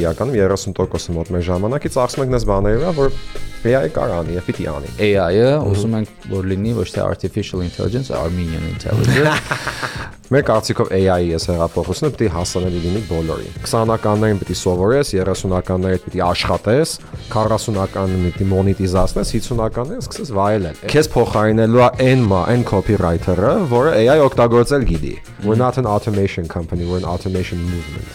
իրականում 30% մոտ մեր ժամանակից ծախսում ենք դες բաների վրա, որ AI-ը կարող անի, եւ պիտի անի։ AI-ը ուզում ենք որ լինի ոչ թե artificial intelligence, Armenian intelligence։ Մեր կարծիքով AI-ի ես հեղափոխությունը պիտի հասանելի լինի բոլորին։ 20-ականներին պիտի սովորես, 30-ականներին պիտի աշխատես, 40-ականներին պիտի մոնետիզացնես, 50-ականներին սկսես վայելել։ Քեզ փոխարինելու է այն copywriter-ը, որը AI օգտագործել գիտի։ We're not an automation company, we're an automation movement.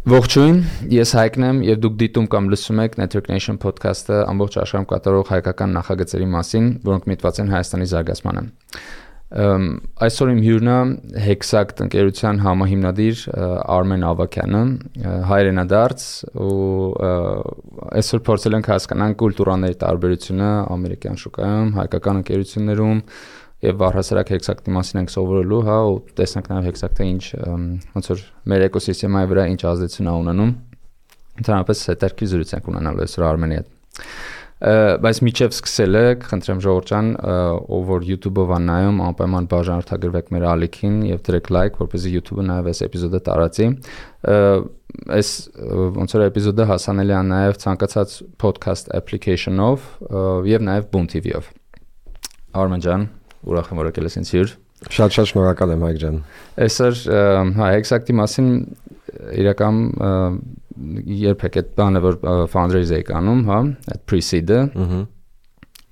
Ողջույն, ես Հայկն եմ եւ դուք դիտում կամ լսում եք Network Nation podcast-ը ամբողջ աշխարհում կատարող հայկական նախագծերի մասին, որոնք միտված են Հայաստանի զարգացմանը։ Այսօր իմ հյուրն է Hexact ընկերության համահիմնադիր Արմեն Ավագյանը, հայրենադարձ ու այսօր փորձել ենք հասկանալ կուլտուրաների տարբերությունը ամերիկյան շուկայում, հայկական ընկերություններում եւ առհասարակ Hexact-ի մասին ենք սովորելու, հա, ու տեսնենք նաեւ Hexact-ը ինչ ոնց որ մեր էկոսիստեմայի վրա ինչ ազդեցություն է ունենում։ Ընդհանրապես հետաքրքիր զրույց ենք ունենալու այսօր Արմենի հետ։ Բայց միջև սկսելը, խնդրեմ ժողովուրդ ջան, ով որ YouTube-ով է նայում, անպայման բաժանորդագրվեք մեր ալիքին եւ դրեք լայք, որպեսզի YouTube-ը նաեւ այս էպիզոդը տարածի։ Այս ոնց որ էպիզոդը հասանելի է նաեւ ցանկացած podcast application-ով եւ նաեւ Boom TV-ով։ Արմեն ջան, ուրախ եմ որ եկել ես ինձ հյուր։ Շատ շնորհակալ եմ Հայկ ջան։ Այսօր հա Hexact-ի մասին իրական երբեք այդ բանը որ fundraise եք անում, հա, այդ pre-seed-ը։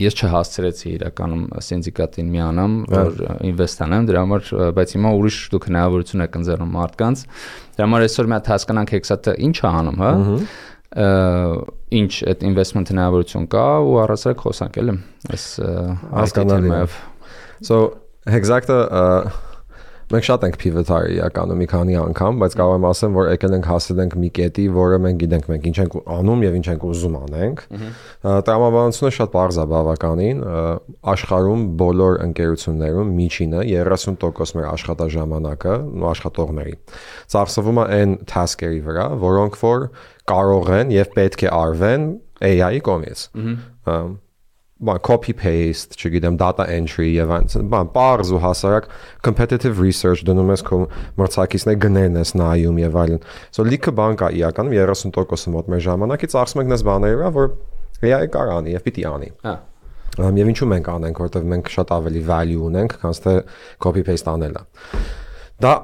Ես չհասցրեցի իրականում սինդիկատին միանամ, որ ինվեստ անեմ, դրա համար, բայց հիմա ուրիշ դուք հնարավորություն եք ընձեռում մարդկանց։ Դրա համար այսօր մի հատ հասկանանք Hexact-ը ինչ է անում, հա։ Ինչ այդ investment հնարավորություն կա ու առասարակ խոսանք էլ այս հասկանալի։ So Hexact-ը մենք շատ ենք pivot-արի իրականում մի քանի անգամ, բայց կարող եմ ասեմ, որ եկել ենք հասել ենք մի կետի, որը մենք գիտենք մենք ինչ ենք անում եւ ինչ ենք ուզում անենք։ Տրամաբանությունը շատ པարզ է բավականին, աշխարհում բոլոր ընկերություններում միջինը 30% մեր աշխատաժամանակը ու աշխատողների ծախսվում է այն task-երի վրա, որոնք որ կարող են եւ պետք է արվեն AI-ի կողմից։ Copy paste, չգիտեմ, data entry եւ այլն, բարձ ու հասարակ competitive research դնում ես քո մրցակիցների գներն ես նայում եւ այլն։ So լիքը բան կա իրականում 30% մոտ մեր ժամանակից ծախսում ենք դες բաների վրա, որ AI-ը կարող անի եւ պիտի անի։ Եվ ինչու մենք անենք, որովհետեւ մենք շատ ավելի value ունենք, քան թե copy paste անելը։ Դա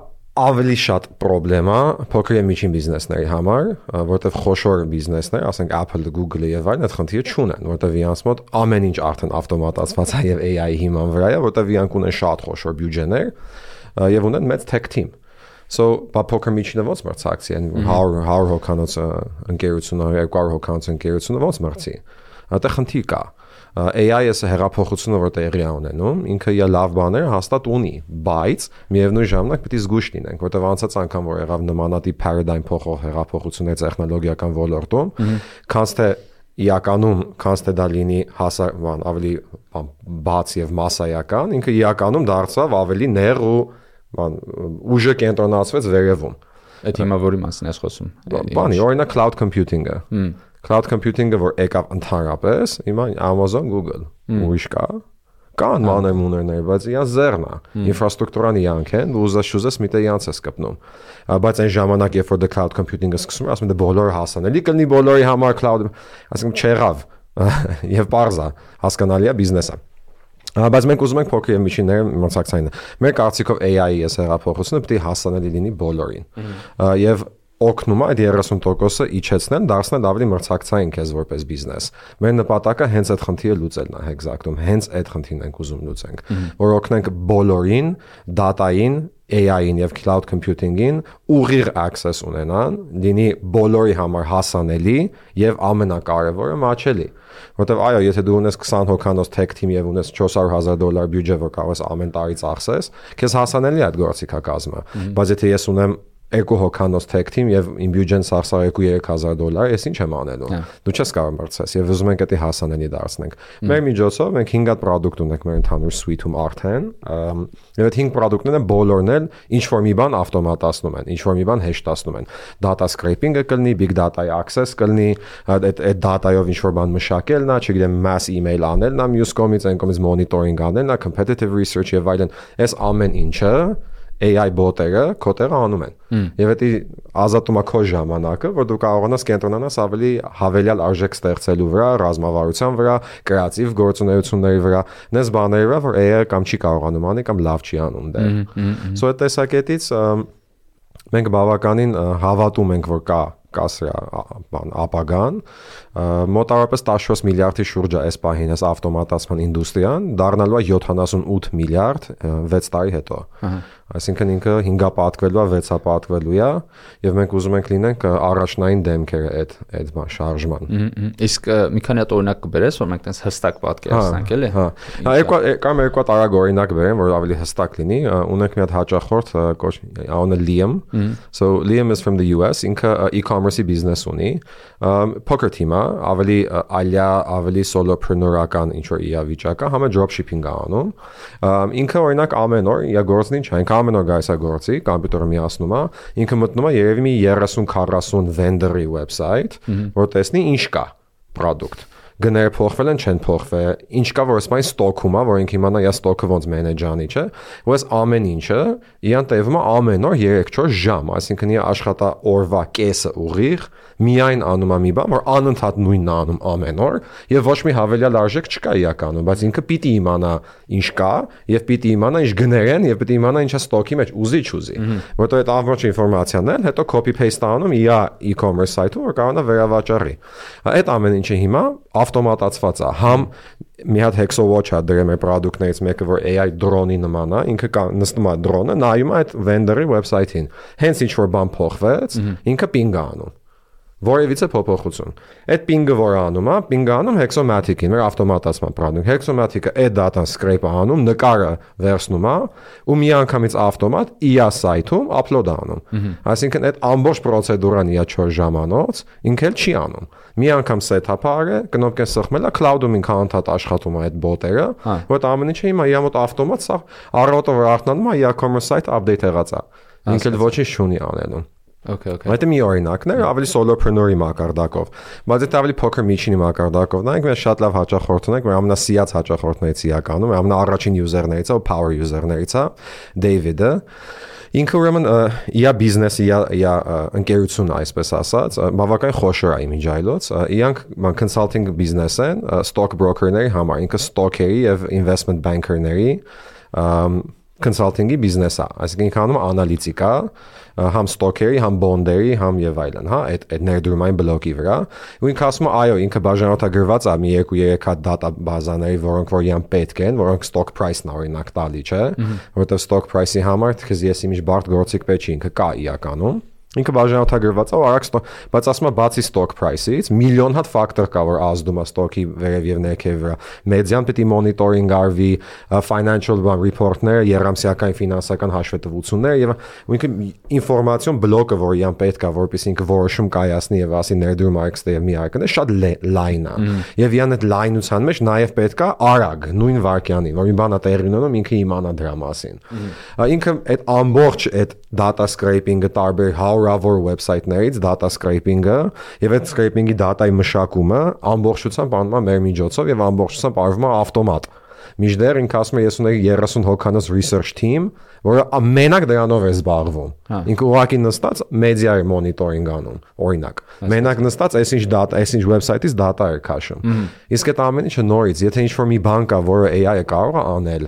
ավելի շատ խնդրեմ է փոքր եւ միջին բիզնեսների համար, որտեղ խոշոր բիզնեսներ, ասենք Apple-ը, Google-ը եւ այլն այդ խնդիրը չունեն, որտեղ իրանց մոտ ամեն ինչ արդեն ավտոմատացված է եւ AI-ի հիման վրա է, որտեղ իրանք ունեն շատ խոշոր բյուջեներ եւ ունեն մեծ tech team։ So, բա փոքր միջինը ոնց մրցակցի են 100 հոգանոց ընկերությունը, 200 հոգանոց ընկերությունը ոնց մրցի։ Այդտեղ խնդիր կա։ AI-ը հեղափոխությունը որ տեղի է ունենում, ինքը իր լավ բաները հաստատ ունի, բայց միևնույն ժամանակ պետք է զգույշ լինենք, որտեղ անցած անգամ որ եղավ նմանատիպ paradigm փոխող հեղափոխություններ տեխնոլոգիական ոլորտում, քանց թե իրականում, քանց թե դա լինի ավելի բաց եւ մասսայական, ինքը իրականում դարձավ ավելի նեղ ու ուժը կենտրոնացվեց վերևում։ Այդ հիմա որի մասին ես խոսում։ Բանի, օրինակ cloud computing-ը։ Cloud computing-ը որ եկավ ընդհանրապես, հիմա Amazon, Google, ուրիշ կան մանրամուններ, բայց իրանց ձեռն է, ինֆրաստրուկտուրան իրանք են, ու ուզես միտը իրանց է սկպնում։ Բայց այն ժամանակ, երբ որ cloud computing-ը սկսում է, ասում են դե բոլորը հասանելի կլինի բոլորի համար cloud, ասենք չեղավ, եւ parza, հասկանալի է բիզնեսը։ Բայց մենք ուզում ենք փոքր եւ միջինները մրցակցային։ Մեր կարծիքով AI-ի ես հեղափոխությունը պետք է հասանելի լինի բոլորին։ Եվ օգնում է այդ 30%-ը իջեցնել, դարձնել ավելի մրցակցային քեզ որպես բիզնես։ Մեր նպատակը հենց այդ խնդիրը լուծելն է Hexact-ում, հենց այդ խնդիրն ենք ուզում լուծենք, որ օգնենք բոլորին, data-ին, AI-ին եւ cloud computing-ին ուղիղ access ունենան, լինի բոլորի համար հասանելի եւ ամենակարևորը մաչելի։ Որտեւ այո, եթե դու ունես 20 հոգանոց tech team եւ ունես $400,000 բյուջե, որ կարող ես ամեն տարի ծախսես, քեզ հասանելի է այդ գործիքակազմը։ Բայց եթե ես ունեմ 2 հոգանոց tech team եւ իմ բյուջեն սարսար $2,000, ես ինչ եմ անելու։ Դու չես կարող մրցես եւ ուզում ենք դա հասանելի դարձնենք։ Մեր միջոցով մենք 5 հատ product ունենք մեր ընդհանուր suite-ում արդեն, եւ այդ 5 product-ները բոլորն էլ ինչ որ մի բան ավտոմատացնում են, ինչ որ մի բան հեշտացնում են։ Data scraping-ը կլինի, big data-ի access կլինի, այդ data-ով ինչ որ բան մշակելն է, չգիտեմ, mass email անելն է, մյուս կողմից այն կողմից monitoring անելն է, competitive research եւ այլն։ Այս ամեն ինչը AI բոտերը քո տեղը անում են։ Եվ դա ազատում է քո ժամանակը, որ դու կարողանաս կենտրոնանաս ավելի հավելյալ արժեք ստեղծելու վրա, ռազմավարության վրա, կրեատիվ գործունեությունների վրա, նես բաների վրա, որ AI կամ չի կարողանում անի կամ լավ չի անում դեռ։ So այդ տեսակետից մենք բավականին հավատում ենք, որ կա սրա ապագան, մոտավորապես 14 միլիարդի շուրջ է այս պահին այս ավտոմատացման ինդուստրիան, դառնալու է 78 միլիարդ 6 տարի հետո։ Այսինքն ինքը 5-ա պատկվելու է, 6-ա պատկվելու է, եւ մենք ուզում ենք լինենք առաջնային դեմքերը այդ շարժման։ Իսկ մի քանի հատ օրինակ կբերես, որ մենք տես հստակ պատկերացնենք, էլի։ Կամ երկու տարագ օրինակ բերեմ, որ ավելի հստակ լինի։ Ունենք մի հատ հաճախորդ, անունը Liam. So Liam is from the US, ինքը e-commerce-ի բիզնես ունի։ Փոքր թիմ է, ավելի ալյա, ավելի solopreneur-ական ինչ որ իրավիճակ է, համը dropshipping է անում։ Ինքը օրինակ ամեն օր իր գործն ինչ է, ինքը ամեն օր գայս է գործի, կոմպյուտերը միացնում է, ինքը մտնում է երևի մի 30-40 vendor-ի website, որ տեսնի ինչ կա product։ Գները փոխվել են, չեն փոխվել, ինչ կա, որ ասում են ստոքում է, որ ինքը իմանա իր ստոքը ոնց manage անի, չէ։ Ու այս ամեն ինչը իրան տևում է ամեն օր 3-4 ժամ, այսինքն իր աշխատա օրվա կեսը ուղիղ միայն անում է մի բան, որ անընդհատ նույնն է անում ամեն օր, եւ ոչ մի հավելյալ արժեք չկա իրականում, բայց ինքը պիտի իմանա ինչ կա, եւ պիտի իմանա ինչ գներ են, եւ պիտի իմանա ինչա ստոքի մեջ ուզի, որտեղ այդ ամբողջ ինֆորմացիան էլ հետո copy paste անում իր e-commerce site-ում, որ կարողանա վերավաճառի։ Այդ ամեն ինչը հիմա ավտոմատացված է, համ մի հատ Hexawatch է դրել մեր product-ներից մեկը, որ AI drone-ի նման է, ինքը նստում է drone-ը, նայում է այդ vendor-ի website-ին։ Հենց ինչ որ բան փոխվեց, ինքը ping է անում։ Որևիցե փոփոխություն։ Այդ ping-ը որ անում է, ping-ը անում Hexomatic-ին, մեր ավտոմատացման product։ Hexomatic-ը այդ data-ն scrape-ը անում, նկարը վերցնում է, ու մի անգամից ավտոմատ իր site-ում upload անում։ Այսինքն այդ ամբողջ պրոցեդուրան իր 4 ժամանոց ինքը էլ չի անում։ Մի անգամ set-up-ը արել, կնոպկեն սխմել է, cloud-ում ինքը անդադ աշխատում է այդ բոտերը, որ ամեն ինչը հիմա իր մոտ ավտոմատ սա առավոտը որ արթնանում է, իր commerce site update եղած է։ Ինքը ոչինչ չունի անելու։ Okay. Այդ մի օրինակն է, ավելի solopreneur-ի մակարդակով, բայց այդ ավելի փոքր միջինի մակարդակով։ Նայենք, մենք շատ լավ հաճախորդ ունենք, որ ամենասիած հաճախորդներից իրականում, ամենաառաջին user-ներից է, power user-ներից է, David-ը։ Ինքը ուրեմն իր բիզնեսը, իր ընկերությունը, այսպես ասած, բավական խոշոր է իմիջայլոց։ Իրանք consulting բիզնես են, stock broker-ների համար, ինքը stock-երի եւ investment banker-ների consulting-ի բիզնես է, այսինքն ինքը անում անալիտիկա, համ ստոքերի, համ բոնդերի, համ եւ այլն, հա, այդ ներդրումային բլոկի վրա։ Ու ինքը ասում է, այո, ինքը բաժանորդագրված է մի 2-3 հատ data բազաների, որոնք որ իրան պետք են, որոնք stock price-ն օրինակ տալի, չէ, որովհետեւ stock price-ի համար թքեզ ես իմիջ բարդ գործիք պետք չի, ինքը կա իրականում։ Ինքը բաժանորդագրված է ու արագ բայց ասում է բացի stock price-ից միլիոն հատ ֆակտոր կա, որ ազդում է stock-ի վերև եւ ներքև վրա։ Մեդիան պիտի մոնիտորինգ արվի, financial report-ները, երամսյական ֆինանսական հաշվետվությունները եւ ինքը ինֆորմացիոն բլոկը, որ իրան պետք է, որպեսզի ինքը որոշում կայացնի եւ ասի ներդրում արքստե եւ մի արքն է, շատ լայն է։ Եվ իրան այդ լայնության մեջ նաեւ պետք է արագ, նույն վարքյանին, որ մի բան է տեղի ունենում, ինքը իմանա դրա մասին։ Ինքը այդ ամբողջ այդ data scraping-ը տարբեր հարյուրավոր website-ներից data scraping-ը եւ այդ scraping-ի data-ի մշակումը ամբողջությամբ անում է մեր միջոցով եւ ամբողջությամբ արվում է ավտոմատ։ Միջդեռ ինքը ասում է ես ունեի 30 հոգանոց research team, որը ամենակ դրանով է զբաղվում։ Ինքը ուղղակի նստած մեդիա է մոնիտորինգ անում, օրինակ։ Մենակ նստած այսինչ data, այսինչ website-ից data է քաշում։ Իսկ այդ ամեն ինչը նորից, եթե ինչ-որ մի բան կա, որը AI-ը կարող է անել,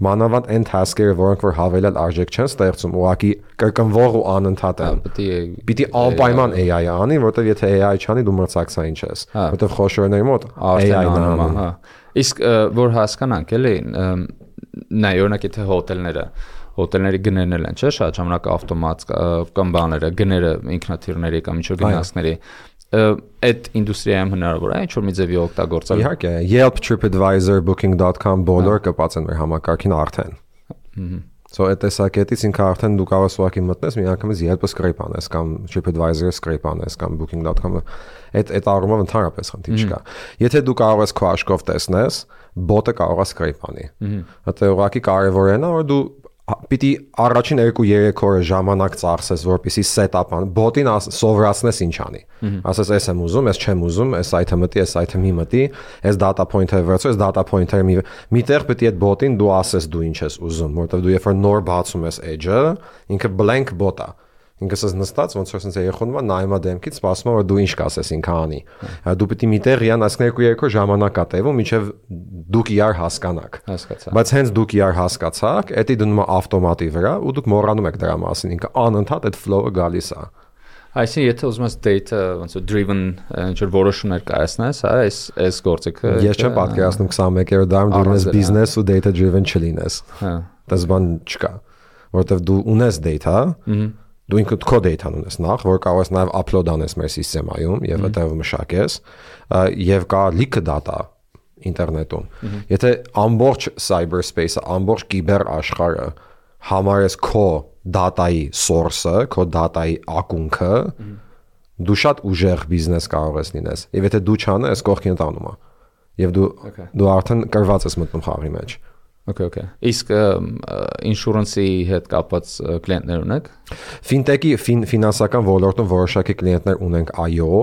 մանավանդ այն task-երը, որոնք որ հավելյալ արժեք չեն ստեղծում, ուղղակի կրկնվող ու անընդհատ են։ Պիտի անպայման AI-ը անի, որովհետև եթե AI չանի, դու մրցակցային չես, որովհետև խոշորների մոտ AI-ն է անում։ Իսկ որ հասկանանք, էլի, նայ օրինակ եթե հոթելների գներն են, չէ՞, շատ ժամանակ ավտոմատ կամ բաները, գները ինքնաթիռների կամ ինչ-որ գնացքների, այդ ինդուստրիայում հնարավոր է ինչ-որ մի ձևի օգտագործել։ Իհարկե, Yelp, TripAdvisor, Booking.com բոլոր կպած են մեր համակարգին արդեն։ So այդ տեսակետից ինքը արդեն դու կարող ես ուղղակի մտնես, մի անգամից Yelp-ը scrape անես կամ TripAdvisor-ը scrape անես կամ Booking.com-ը այդ առումով ընդհանրապես խնդիր չկա։ Եթե դու կարող ես քո աշխով տեսնես, բոտը կարող է scrape անի։ Դա ուղղակի կարևոր է նա, որ դու պիտի առաջին 2-3 օրը ժամանակ ծախսես, որպեսզի set-up-ան, bot-ին սովորացնես ինչ անի։ Ասես ես եմ ուզում, ես չեմ ուզում, այս item-ը մտի, այս item-ի մտի, այս data point-ը վերցրու, այս data point-ը միտեղ պիտի այդ bot-ին դու ասես դու ինչ ես ուզում, որովհետև դու երբ որ նոր բացում ես edge-ը, ինքը blank bot է։ Ինքս ես նստած ոնց որ sense երախոնում է նայում է դեմքից, սպասում է որ դու ինչ կասես ինքը անի։ Դու պիտի միտեղ իրան ասկն 2-3 ժամանակ է տևում, մինչև դուք իրար հասկանաք։ Հասկացա։ Բայց հենց դուք իրար հասկացաք, դա դնում է ավտոմատի վրա ու դուք մոռանում եք դրա մասին, ինքը անընդհատ այդ flow-ը գալիս է։ Այսինքն եթե ուզում ես data ոնց որ driven ինչ որ որոշումներ կայացնես, հա, այս գործիքը ես չեմ պատկերացնում 21-րդ դարում դու ունես business ու data driven չլինես։ Հա։ Դա բան չկա, որովհետև դու ունես data, դու ինքդ քո data-ն ունես նախ, որ կարող ես նաև upload անես մեր համակարգում եւ այդտեղ մշակես, եւ կա լիքը data ինտերնետում։ Եթե ամբողջ cyberspace-ը, ամբողջ կիբեր աշխարհը համարես քո data-ի source-ը, քո data-ի ակունքը, դու շատ ուժեղ բիզնես կարող ես լինես։ Եվ եթե դու չանես, կողքին տանում է։ Եվ դու արդեն կրված ես մտնում խաղի մեջ։ Okay. Իսկ insurance-ի հետ կապված կլիենտներ ունեք։ Fintech-ի ֆինանսական ոլորտում որոշակի կլիենտներ ունենք, այո,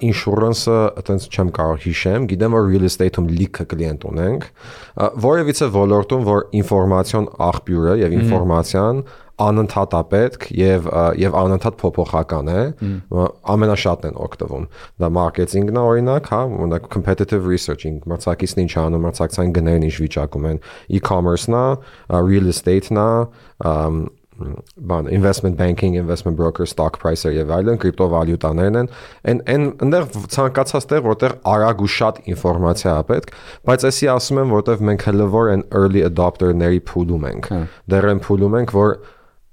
insurance-ը այտենց չեմ կարող հիշեմ, գիտեմ որ real estate-ում լիքը կլիենտ ունենք, որևիցե ոլորտում որ ինֆորմացիոն աղբյուրը եւ ինֆորմացիան անընդհատ է պետք եւ անընդհատ փոփոխական է, ամենաշատն են օգտվում։ Դա մարքեթինգն է օրինակ, հա, օրինակ competitive researching, մրցակիցն ինչ անում, մրցակցային գներն ինչ վիճակում են, e-commerce-ն է, real estate-ն է, investment banking, investment broker, stock price-ը եւ այլն, կրիպտովալյուտաներն են, այնտեղ ցանկացած տեղ, որտեղ արագ ու շատ ինֆորմացիա է պետք, բայց էսի ասում եմ, որտեղ մենք հələ որ են early adopter-ների փուլում ենք։ Դեռ են փուլում ենք, որ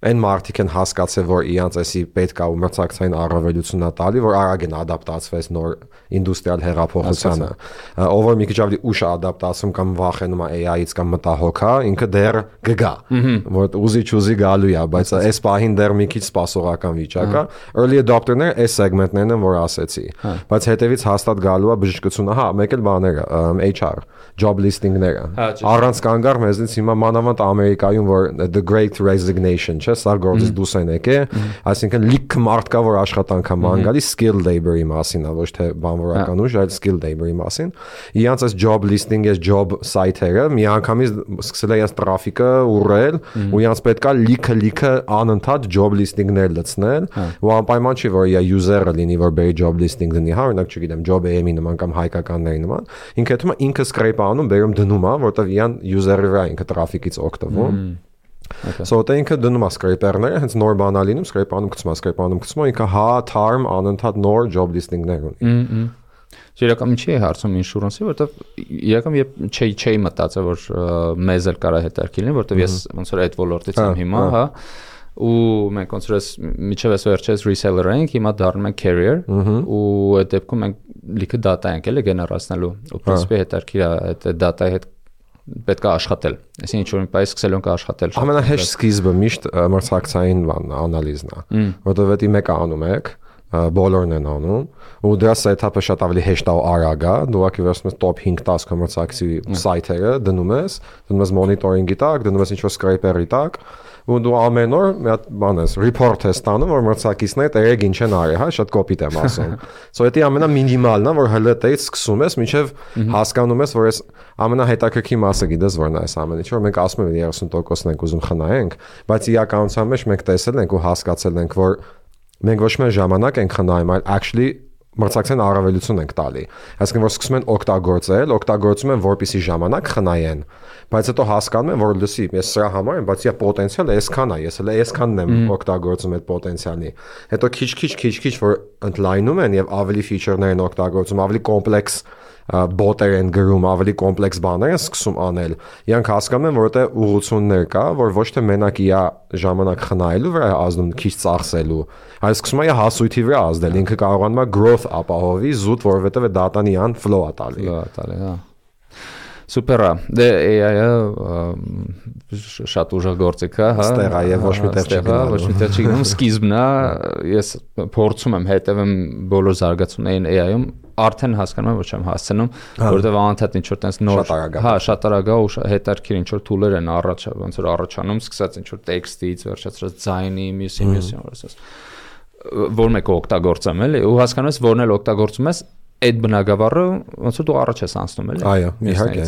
այն մարդիկ են հասկացել, որ իրանց էսի պետք է ու մրցակցային առավելությունն է տալի, որ արագ են ադապտացվես նոր ինդուստրիալ հեղափոխությանը։ Ով որ մի քիչ ավելի ուշ է ադապտացում կամ վախենում է AI-ից կամ մտահոգ է, ինքը դեռ կգա, որ ուզի գալու է, բայց այս պահին դեռ մի քիչ սպասողական վիճակ է։ Early adopter-ները այս սեգմենտներն են, որ ասեցի, բայց հետևից հաստատ գալու է բժշկությունը, հա, մեկ էլ բաները, HR, job listing-ները։ Առանց կանգառ մեզնից հիմա մանավանդ Ամերիկայում, որ the great resignation սա գործից դուրս են եկել, այսինքն լիքը մարդ կա, որ աշխատանք է ման գալիս skill labor-ի մասին, ոչ թե բանվորական ուժ, այլ skill labor-ի մասին։ Իրանց այս job listing, այս job site-երը միանգամից սկսել է իրենց տրաֆիկը ուռել, ու իրանց պետքա լիքը անընդհատ job listing-ներ լցնել, ու անպայման չի, որ իր user-ը լինի, որ բերի job listing դնի, հա, օրինակ չգիտեմ, job AM-ի նման կամ հայկականների նման, ինքը հետո ինքը scrape անում, բերում դնում է, որտեղ իրան user-ը վրա ինքը տրաֆիկից օգտվում։ So դա ինքը դնում է scraper-ները, հենց նոր բան է լինում, scrape-անում գցում, ինքը հա թարմ անընդհատ նոր job listing-ներ ունի։ Իրական ինչի է հարցում insurance-ի, որովհետև իրական չէի մտածել, որ մեզ էլ կարա հետաքրքիր լինի, որովհետև ես ոնց որ այդ ոլորտից եմ հիմա, հա, ու մենք ոնց որ միջև այս վերջերս reseller ենք, հիմա դառնում ենք carrier, ու այդ դեպքում մենք լիքը data ենք էլի գեներացնելու, ու principe հետաքրքիր է այդ data-ի հետ պետք է աշխատել։ Այսինքն ինչ որ մի բան սկսել ենք աշխատել։ Ամենահեշտ սկիզբը միշտ մրցակցային անալիզն է, որովհետև դա մեկը անում եք, բոլորն են անում, ու դրա set-up-ը շատ ավելի հեշտ է ու արագ է, դու ակի վերցնում ես top 5-10 կոմերցակցի սայթերը, դնում ես monitoring-ի տակ, դնում ես ինչ-որ scraper-ի տակ, ու դու ամեն օր մի հատ բան ես, report ես տանում, որ մրցակիցները տերեկ ինչ են արել, հա, շատ կոպիտ եմ ասում։ So դա ամենամինիմալն է, որ հələ տեից սկսում ես, մինչև հասկանում ես, որ այս ամենահետաքրքիր մասը գիտես որն է այս ամեն ինչը, որ մենք ասում ենք 30%-ն ենք ուզում խնայենք, բայց իրականության մեջ մենք տեսել ենք ու հասկացել ենք, որ մենք ոչ միայն ժամանակ ենք խնայում, այլ actually մրցակցային առավելություն ենք տալի։ Այսինքն որ սկսում են օգտագործում են որպեսի ժամանակ խնայեն, բայց հետո հասկանում են, որ լսի, ես սրա համար եմ, բայց իա պոտենցիալը այսքան է, ես հələ այսքանն եմ օգտագործում այդ պոտենցիալի։ Հետո քիչ որ ընդլայնում են եւ ավելի feature-ներ են օգտագործում, ավելի կոմպլեքս բոտեր են գրում, ավելի կոմպլեքս բաներ են սկսում անել։ Իրանք հասկանում են, որ դա ուղղություններ կա, որ ոչ թե մենակ իա ժամանակ խնայելու վրա է ազդում, քիչ ծախսելու, այլ սկսում է հասույթի վրա ազդել, ինքը կարողանում է growth ապահովի զուտ, որովհետև դատան իան flow-ա տալի, հա։ Սուպերա։ Դե AI-ը շատ ուժեղ գործիք է, հա։ Ստեղ է եւ ոչ մի տեղ չգնում, սկիզբն է, ես փորձում եմ հետևեմ բոլոր զարգացումներին AI-ում, արդեն հասկանում եմ, ոչ եմ հասցնում, որովհետեւ անընդհատ ինչ որ տես նոր, հա, շատ արագ է ու հետարքիր ինչ որ tool-եր են ոնց որ առաջանում, սկսած ինչ որ տեքստից, վերջացրած ձայնի, մյուսի, ասես։ Որ մեկը օգտագործեմ էլի, ու հասկանում ես, որն էլ օգտագործում ես, այդ բնագավառը ոնց որ դու առաջ ես անցնում էլի։ Այո, իհարկե։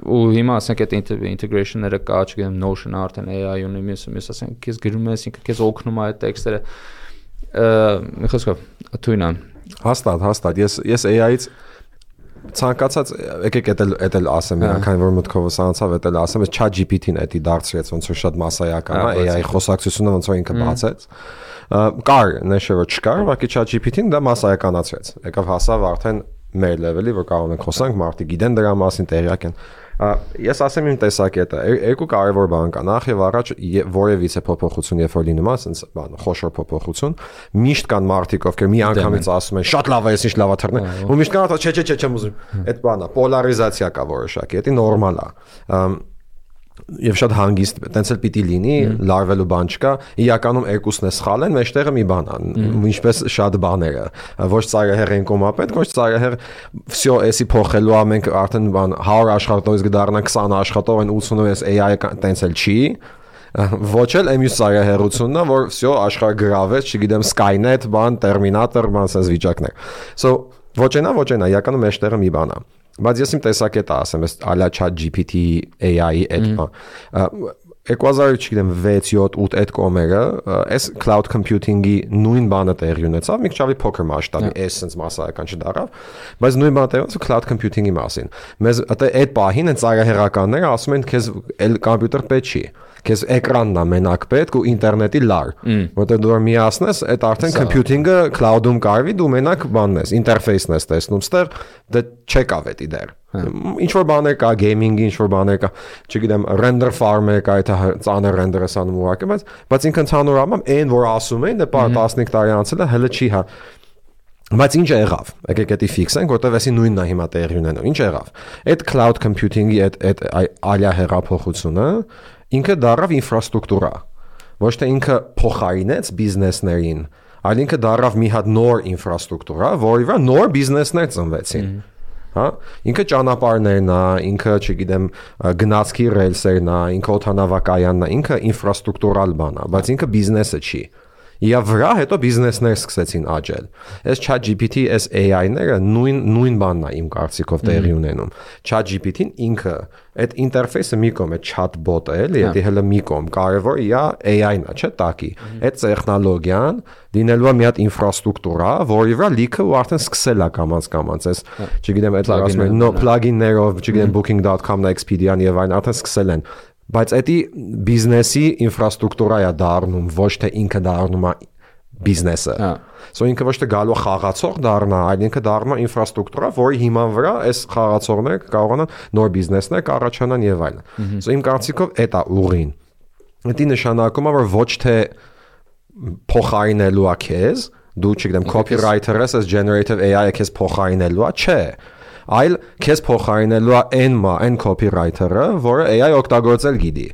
Ու հիմա ասենք այդ integration-ները կա, չգիտեմ, Notion-ը արդեն AI ունի, մյուս ասենք քեզ գրում ես, ինքը քեզ օգնում է այդ տեքստերը։ Մի խոսքով, թույն է։ Հաստատ, ես AI-ից ցանկացած եկեք էդ էլ ասեմ, քանի որ մտքովս անցավ, էդ էլ ասեմ, ես ChatGPT-ն էդի դարձրեց ոնց որ շատ մասսայական է, AI խոսակցությունը ոնց որ ինքը բացեց։ Կար, նշը որ չկար, ուղղակի ChatGPT-ն դա մասսայականացրեց։ Եկավ հասավ արդեն մեր level-ի, որ կարող ենք խոսանք, մարդիկ գիտեն դրա մասին, տեղյակ են։ Ես ասեմ իմ տեսակետը, երկու կարևոր բան կա։ Նախ եւ առաջ որևիցե փոփոխություն երբ որ լինում է, ասենց բան, խոշոր փոփոխություն, միշտ կան մարդիկ, ովքեր մի անգամից ասում են, շատ լավ է, ես ինչ լավ է թռնել, ու միշտ կան ասում, չէ, չեմ ուզում։ Այդ բանը, պոլարիզացիա կա որոշակի, դա նորմալ է։ Եվ շատ հանգիստ, տենց էլ պիտի լինի, լարվելու բան չկա, իրականում երկուսն է սխալ են, մեջտեղը մի բան է, ինչպես շատ բաները, ոչ ծայրահեղ են կոմապետ, ոչ ծայրահեղ, всё, էսի փոխելու է, մենք արդեն բան 100 աշխատողից կդառնա 20 աշխատող, այն 80-ը AI-ը տենց էլ չի, ոչ էլ մյուս ծայրահեղությունն է, որ всё աշխարհը գրավեց, չգիտեմ, Skynet, բան, Terminator, բան, sense վիճակներ։ So ոչ այնա, իրականում մեջտեղը մի բան է։ Բայց ես իմ տեսակետը ասեմ, ես ալա ChatGPT AI-ի այդ 2000, չգիտեմ, 6, 7, 8 այդ կոմերը, այս cloud computing-ի նույն բանը տեղի ունեցավ, մի քիչ ավելի փոքր մասշտաբի, essence մասսայական չդառավ, բայց նույն բանը տեղի ունեցավ cloud computing-ի մասին։ Մեզ այդ պահին են ծայրահեղականները ասում են, քեզ էլ կոմպյուտեր պետք չի։ Քեզ էկրանն է մենակ պետք ու ինտերնետի լար, որտեղ դու միացնես, այդ արդեն computing-ը cloud-ում կարվի, դու մենակ բանն ես, ինտերֆեյսն ես տեսնում, ստեղ դա չեկավ էդի դեր։ Ինչ որ բաներ կա, gaming-ի, ինչ որ բաներ կա, չգիտեմ, render farm-ը կա, այդ ծանր render-ը անում ուղղակի, բայց ինքը ընդհանուր առմամբ այն որ ասում են, դա 15 տարի անցել է, հələ չի հա։ Բայց ինչ եղավ։ Եկեք էդի ֆիքսենք, որտեղ էսի նույնն է հիմա տեղի ունենում։ Ինչ եղավ։ Այդ cloud computing-ի այդ ալիա հեղափոխությունը ինքը դառավ ինֆրաստրուկտուրա։ Ոչ թե ինքը փոխարինեց բիզնեսներին, այլ ինքը դառավ մի հատ նոր ինֆրաստրուկտուրա, որի վրա նոր բիզնեսներ ծնվեցին։ Հա, ինքը ճանապարհներն է, ինքը, չգիտեմ, գնացքի ռելսերն է, ինքը օդանավակայանն է, ինքը ինֆրաստրուկտուրալ բան է, բայց ինքը բիզնեսը չի։ Եվ վրա հետո բիզնեսներ սկսեցին աճել։ Այս ChatGPT, այս AI-ները նույն բանն է իմ կարծիքով տեղի ունենում։ ChatGPT-ն ինքը այդ ինտերֆեյսը մի կողմ է chatbot-ը, էլի, դա հələ մի կողմ, կարևոր է AI-ն է, չէ՞, տակի։ Այդ տեխնոլոգիան դինելու է մի հատ ինֆրաստրուկտուրա, որի վրա լիքը ու արդեն սկսել է կամած, այս, չգիտեմ, այդ ասում են, plugin-ներով, չգիտեմ, booking.com-ն, Expedia-ն եւ այն արդեն սկսել են։ Բայց էդի բիզնեսի ինֆրաստրուկտուրա է դառնում, ոչ թե ինքը դառնում է բիզնեսը։ So ինքը ոչ թե գալու խաղացող դառնա, այլ ինքը դառնում է ինֆրաստրուկտուրա, որի հիման վրա այս խաղացողները կարողանան նոր բիզնեսներ կառաջանան եւ այլն։ So իմ կարծիքով դա է ուղին։ Դա նշանակում է, որ ոչ թե փոխարինելու է քեզ, դու չգիտեմ, copywriter-ը, այս generative AI-ը քեզ փոխարինելու է, չէ։ Այլ քեզ փոխարինելու է այն copywriter-ը, որը AI օգտագործել գիտի։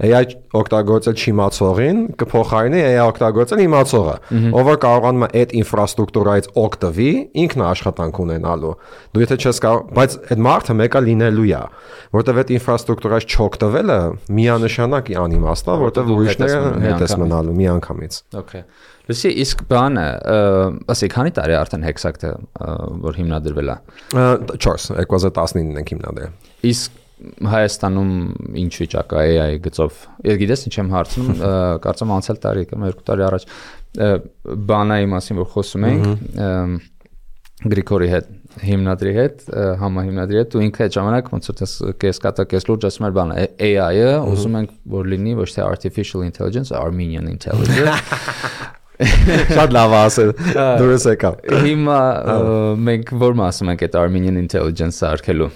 AI օգտագործել չիմացողին կփոխարինի AI օգտագործել իմացողը, ով որ կարողանում է այդ ինֆրաստրուկտուրայից օգտվի, ինքն աշխատանք ունենալու։ Դու եթե չես կարող, բայց այդ մարդը մեկը լինելու է, որտեվ այդ ինֆրաստրուկտուրայից չօգտվելը միանշանակ է անիմաստ, որտեվ ուրիշները հետ ես մնալու միանգամից։ Okay. Լսի, իսկ բանը, ասի, քանի տարի արդեն Hexact-ը որ հիմնադրվել է։ 4, 2019-ն ենք հիմնադրել։ Իսկ Հայաստանում ինչ վիճակ է AI գծով։ Ես գիտես ինչ եմ հարցնում, կարծեմ անցյալ տարի կամ 2 տարի առաջ բանայի մասին որ խոսում ենք Գրիգորի հետ, հիմնադրի հետ, համահիմնադրի հետ, ու ինքը այդ ժամանակ ոնց որ կես կատա կես լուրջ ասում էր բանը AI-ը, ուզում ենք որ լինի ոչ թե artificial intelligence, Armenian intelligence։ Շատ լավ ասել, դուրս եկավ։ Հիմա մենք որ մասում ենք այդ Armenian intelligence-ը արկելու։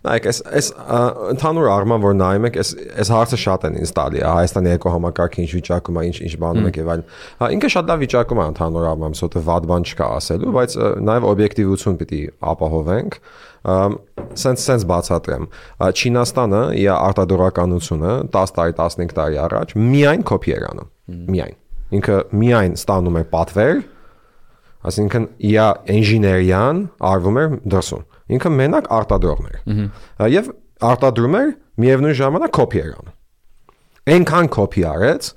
Նայեք, այս ընդհանուր առմամբ որ նայում եք, այս հարցը շատ են ինձ տալի, Հայաստանի էկոհամակարգը ինչ վիճակում է, ինչ բանում եք եւ այլն։ Ինքը շատ լավ վիճակում է ընդհանուր առմամբ, սոտը վատ բան չկա ասելու, բայց նաեւ օբյեկտիվություն պիտի ապահովենք։ Սենց բացատրեմ։ Չինաստանը իր արտադրականությունը 10 տարի, 15 տարի առաջ միայն կոպի էր անում։ Միայն։ Ինքը միայն ստանում էր պատվեր, այսինքն իր ինժեներիան արվում էր դրսում։ Ինքը մենակ արտադրողն էր։ Եվ արտադրում էր միևնույն ժամանակ կոպի էր անում։ Այնքան կոպի արեց,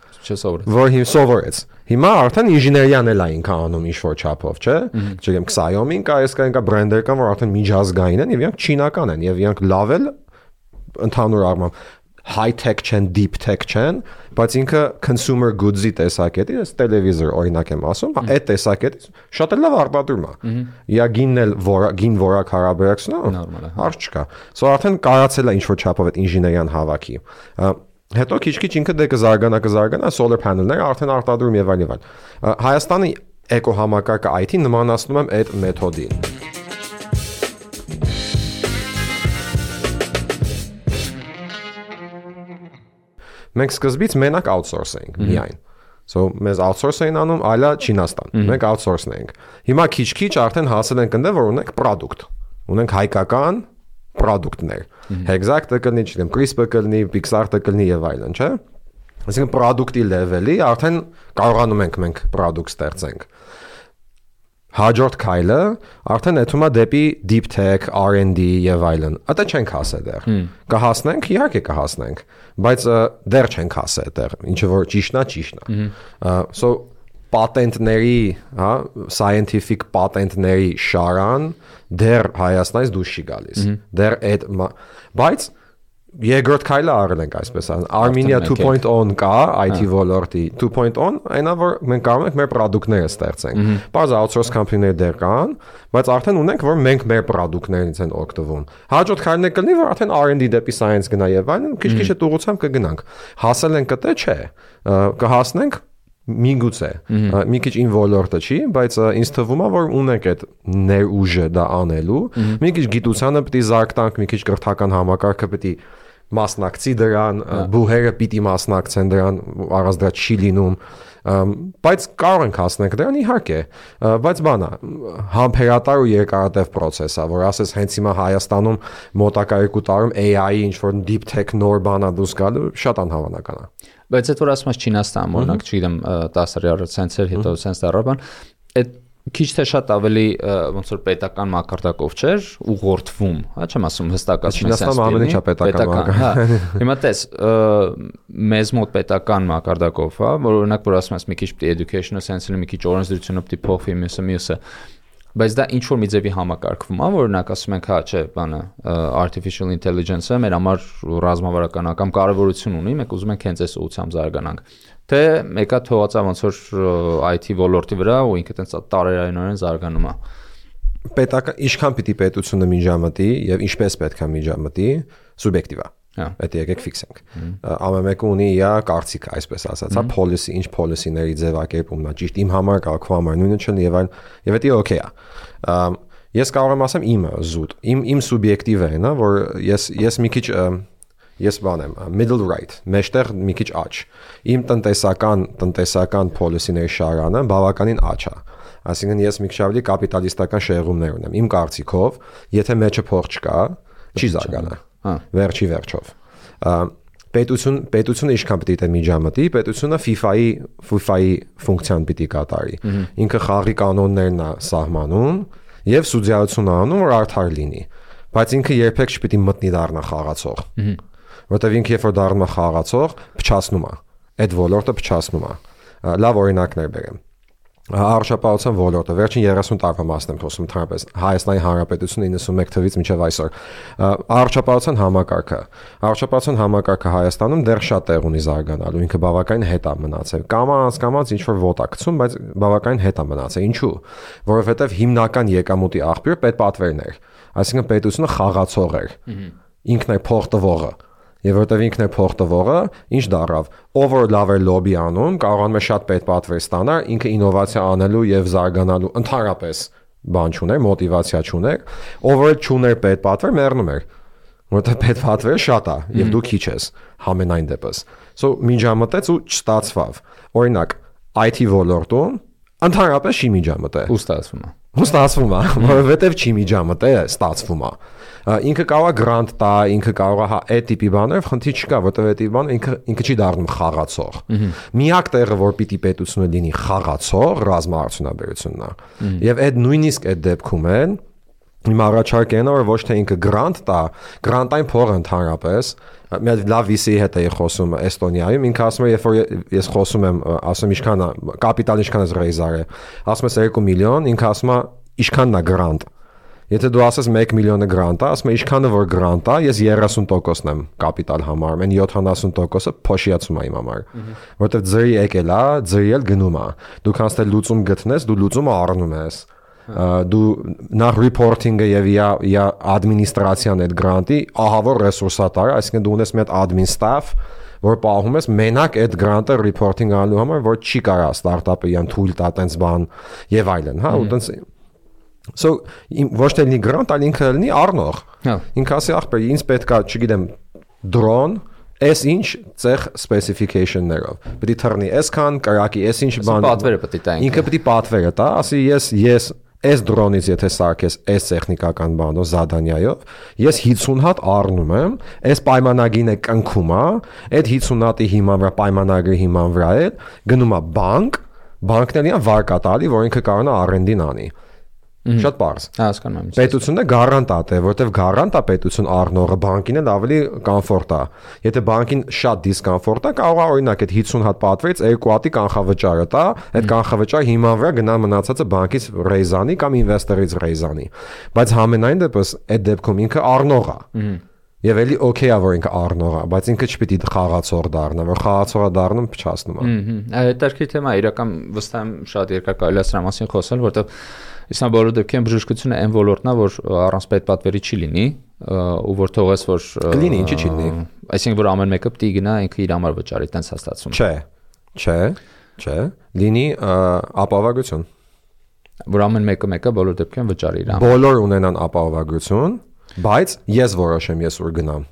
որ հիմա սովորեց։ Հիմա արդեն ինժեներիան էլ է ինքան անում ինչ-որ չափով, չէ՞։ Չգիտեմ, Xiaomi-ն կա, այս կա բրենդեր կան, որ արդեն միջազգային են եւ իրանք չինական են եւ իրանք լավ էլ ընդհանուր առմամբ high-tech չեն, deep-tech չեն, բայց ինքը consumer goods-ի տեսակետի, այս տելևիզոր օրինակ եմ ասում, այդ տեսակետից շատ էլ լավ արտադրում է։ Իա գինն էլ գին որակ հարաբերակցում, հարց չկա։ Սա արդեն կարացել է ինչ-որ չափով այդ ինժեներիան հավաքի։ Հետո քիչ-քիչ ինքը դե կզարգանա solar panel-ները արդեն արտադրում եւ այլն։ Հայաստանի էկոհամակարգը IT նմանացնում եմ այդ մեթոդին։ Մենք սկզբից մենակ outsource էինք միայն։ So մեզ outsource էին անում, այլա Չինաստան։ Մենք outsource էինք։ Հիմա քիչ-քիչ արդեն հասել ենք այնտեղ, որ ունենք product։ Ունենք հայկական product-ներ։ Exact-ը կլինի, չգիտեմ, CRISPR-ը կլինի, Pixar-ը կլինի եւ այլն, չէ՞։ Այսինքն product-ի level-ի արդեն կարողանում ենք մենք product ստեղծենք։ Հաջորդ քայլը արդեն էթումա դեպի deep tech, R&D եւ այլն։ Ատա չենք հասել դեռ։ Կհասնենք, իհարկե կհասնենք, բայց դեռ չենք հասել դեռ, ինչը որ ճիշտն է։ So պատենտների, հա, scientific պատենտների շարան դեռ Հայաստանից դուրս չի գալիս։ Դեռ այդ բայց երկրորդ քայլը արել ենք այսպես ասած Armenia 2.0 կա IT ոլորտի 2.0 այնա որ մենք կարող ենք մեր product-ները ստեղծենք բարձր outsource company-ներ դեռ կան բայց արդեն ունենք որ մենք մեր product-ներից են օգտվում հաջորդ քայլն է կլինի որ արդեն R&D դեպի science գնա եւ այլն քիչ-քիչ այդ ուղղությամբ կգնանք հասել ենք կտե չէ կհասնենք միգուցե մի քիչ ին ոլորտը չի բայց ինձ թվում է որ ունենք այդ ներուժը դա անելու մի քիչ գիտությանը պիտի զարգանանք մի քիչ կրթական համակարգը պիտի մասնակցի դրան բուհերը պիտի մասնակցեն դրան առանց դրա չի լինում բայց կարող ենք հասնել դրան իհարկե բայց բանա համբերատար ու երկարատև process է որ ասես հենց հիմա Հայաստանում մոտակա 2 տարում AI-ի ինչ որ deep tech նոր բանա դուրս գալու շատ անհավանական է բայց այդ որ ասում ես Չինաստան օրինակ չգիտեմ 10-րդ սենսեր հետո սենս դառան այդ քիչ թե շատ ավելի ոնց որ պետական մակարդակով չէր ուղղորդվում, հա չեմ ասում հստակ ասում ես Չինաստանը ամեն ինչա պետական, հա հիմա տես մեզ մոտ պետական մակարդակով, հա որ օրինակ որ ասում ես մի քիչ պիտի educational sense-ը մի քիչ օրենսդրությունը պիտի փոխվի մյուսը բայց դա ինչ որ մի ձևի համակարգվում է, որ օրինակ ասում ենք, հա, չէ, բանը artificial intelligence-ը մեր համար ռազմավարական կարևորություն ունի, մենք ուզում ենք հենց այս ուղղությամբ զարգանանք։ Թե մեկը թողածա ոնց որ IT ոլորտի վրա ու ինքը տենց տարերայնորեն զարգանում է։ Պետական ինչքան պիտի պետությունը միջամտի եւ ինչպես պետք է միջամտի, սուբյեկտիվ է։ Այդ եկեք ֆիքսենք։ Ամենը ունի իր կարծիքը, այսպես ասած, հա, policy, ինչ policy-ների ձևակերպումն է, ճիշտ իմ համար կա, քո համար նույնը չլինի եւ այլն, եւ դա օքեյ է։ Ես կարող եմ ասեմ իմը զուտ, իմ սուբյեկտիվ է, նա, որ ես մի քիչ ես բան եմ, middle right, մեջտեղ մի քիչ աճ։ Իմ տնտեսական policy-ների շարանը բավականին աճ է։ Այսինքն ես մի քիչ ավելի կապիտալիստական շեղումներ ունեմ։ Իմ կարծիքով, եթե մեջը փող չկա, չի զարգանա։ Վերջի վերջով պետությունը ինչքան պիտի դե միջամտի պետությունը FIFA-ի ֆունկցիան պիտի կատարի ինքը խաղի կանոններն է սահմանում եւ սուդիայություն անում որ արդար լինի բայց ինքը երբեք չպիտի մտնի դառնա խաղացող որտեւ ինքը երբ որ դառնում է խաղացող փչացնում է այդ ոլորտը փչացնում է լավ օրինակներ բերեմ Առողջապահության ոլորտը վերջին 30 տարվա մասն եմ խոսում ընդհանրապես Հայաստանի Հանրապետությունը 91 թվականից մինչև այսօր առողջապահության համակարգը Հայաստանում դեռ շատ տեղ ունի զարգանալու ինքը բավականին հետ է մնացել կամաց ինչ որ ոտ է գցում բայց բավականին հետ է մնացել ինչու որովհետև հիմնական եկամուտի աղբյուր պետպատվերն էր այսինքն պետությունը խաղացող էր ինքն է փող տվողը Եվ որտեվ ինքն է փող տվողը, ինչ դառավ, ով որ լավ է լոբի անում, կարողանում է շատ պետպատվեր ստանալ, ինքը ինովացիա անելու եւ զարգանալու ընդհանրապես բան չուներ, մոտիվացիա չուներ, ով որ չուներ պետպատվեր, մեռնում էր։ որտեղ պետպատվերը շատ է եւ դու քիչ ես համենայն դեպս։ So միջամտեց ու չստացվավ։ Օրինակ IT ոլորտում ընդհանրապես չի միջամտել։ Ու ստացվում է։ Որովհետեւ չի միջամտել, ստացվում է։ Ինքը կարող է գրանտ տա, ինքը կարող է այդ տիպի բաներ, խնդիր չկա, որտեղ այդ տիպի բանը ինքը չի դառնում խաղացող։ Միակ տեղը, որ պիտի պետությունը լինի խաղացող, ռազմաարդյունաբերությունն է։ Եվ այդ նույնիսկ այդ դեպքում են իմ առաջարկն է, որ ոչ թե ինքը գրանտ տա, գրանտային փողը ընդհանրապես, մի հատ լավ VC-ի հետ էի խոսում Էստոնիայում, ինքը ասում է, երբ որ ես խոսում եմ, ասում ինչքան է, կապիտալ ինչքան է ռեյզար է, ասում ես 2 միլիոն, ինքը ասում է ինչքանն է գրանտ։ Եթե դու ասես 1 միլիոնը գրանտ է, ասում է ինչքանը որ գրանտ է, ես 30%-ն եմ կապիտալ համարում, այն 70%-ը փոշիացում է իմ համար, որովհետև ձրի եկել է, ձրի էլ գնում է։ Դու քանց թե լուծում գտնես, դու լուծումը առնում ես։ Դու նախ reporting-ը եւ या administration այդ գրանտի ահավոր ռեսուրսա տար, այսինքն դու ունես մի հատ admin staff, որ պահում ես մենակ այդ գրանտը reporting անելու համար, որ չի կարա ստարտափը իրան թույլ տա տենց բան եւ այլն, հա, ու տենց So ոչ թե լինի գրանտ, այլ ինքը լինի առնող։ Ինքը ասի ախպեր, ինձ պետքա, չգիտեմ, drone Այս ինչ ցեղ specification-ներով։ Պետք է թռնի այսքան, կարակի այս ինչ բան։ Պատվերը պետք է տա։ Ինքը պետք է պատվերը տա, ասի ես այս դրոնից եթե սարքես այս տեխնիկական բանով, զադանյայով, ես 50 հատ առնում եմ, այս պայմանագիրը կնքում է, այդ 50 հատի հիման վրա պայմանագրի հիման վրա է, գնում է բանկն էլի վարկա տալի, որ ինքը կարող է R&D-ն անի։ Շատ բարձ։ Հասկանում եմ։ Պետությունը գարանտատ է, որտեվ գարանտա պետություն առնողը բանկին էլ ավելի կոմֆորտ է։ Եթե բանկին շատ դիսկոմֆորտ է, կարող է օրինակ այդ 50 հատ պատվերից 2 հատի կանխավճարը տա, այդ կանխավճարը հիման վրա գնա մնացածը բանկից ռեյզանի կամ ինվեստորից ռեյզանի։ Բայց համենայն դեպս այդ դեպքում ինքը առնող է։ Եվ էլի օքեյ է որ ինքը առնող է, բայց ինքը չպիտի խաղացող դառնա, որ խաղացողը դառնում փչացնում է։ Հետարքի թեմա իրական վստահ եմ շատ երկար կարելի է սրա մասին խոսել, որովհետև Իսկան բոլոր դեպքերում բժշկությունը այն ոլորտն է, որ առանց պետպատվերի չի լինի, ու որ թողես որ լինի, ինչի չի լինի։ Այսինքն որ ամեն մեկը պիտի գնա ինքը իր համար վճարի, տենց հաստատում։ Չէ, լինի ապահովագրություն։ Որ ամեն մեկը բոլոր դեպքերում վճարի իր համար։ Բոլոր ունենան ապահովագրություն, բայց ես որոշեմ ես ուր գնամ,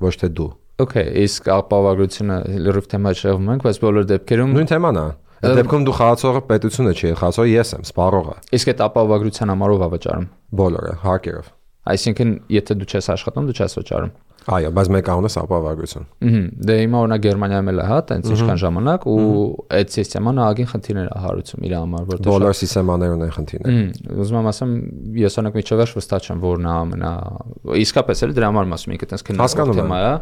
ոչ թե դու։ Okay, իսկ ապահովագրությունը լրիվ թեմա չեղում ենք, բայց բոլոր դեպքերում նույն թեման է։ Այդ դեպքում դու խաղացողը պետությունը չի, խաղացողը ես եմ, սպառողը։ Իսկ այդ ապահովագրության համարով է վճարում։ Բոլորը, հարկերով։ Այսինքն, եթե դու չես աշխատում, դու չես վճարում։ Այո, բայց մեկ անունս ապահովագրություն։ Դե հիմա օրինակ Գերմանիայում էլ է, հա, տենց ինչքան ժամանակ ու այդ սիստեման ահագին խնդիրներ է հարուցում իր համար, որտեղ բոլոր սիստեմաներն են խնդիրներ։ Ուզում եմ ասեմ, ես օրինակ միջավայր վստահ չեմ, որն է ամենա իսկապես էլ դրա համար ասում ինքը տենց քննարկող թեմա է։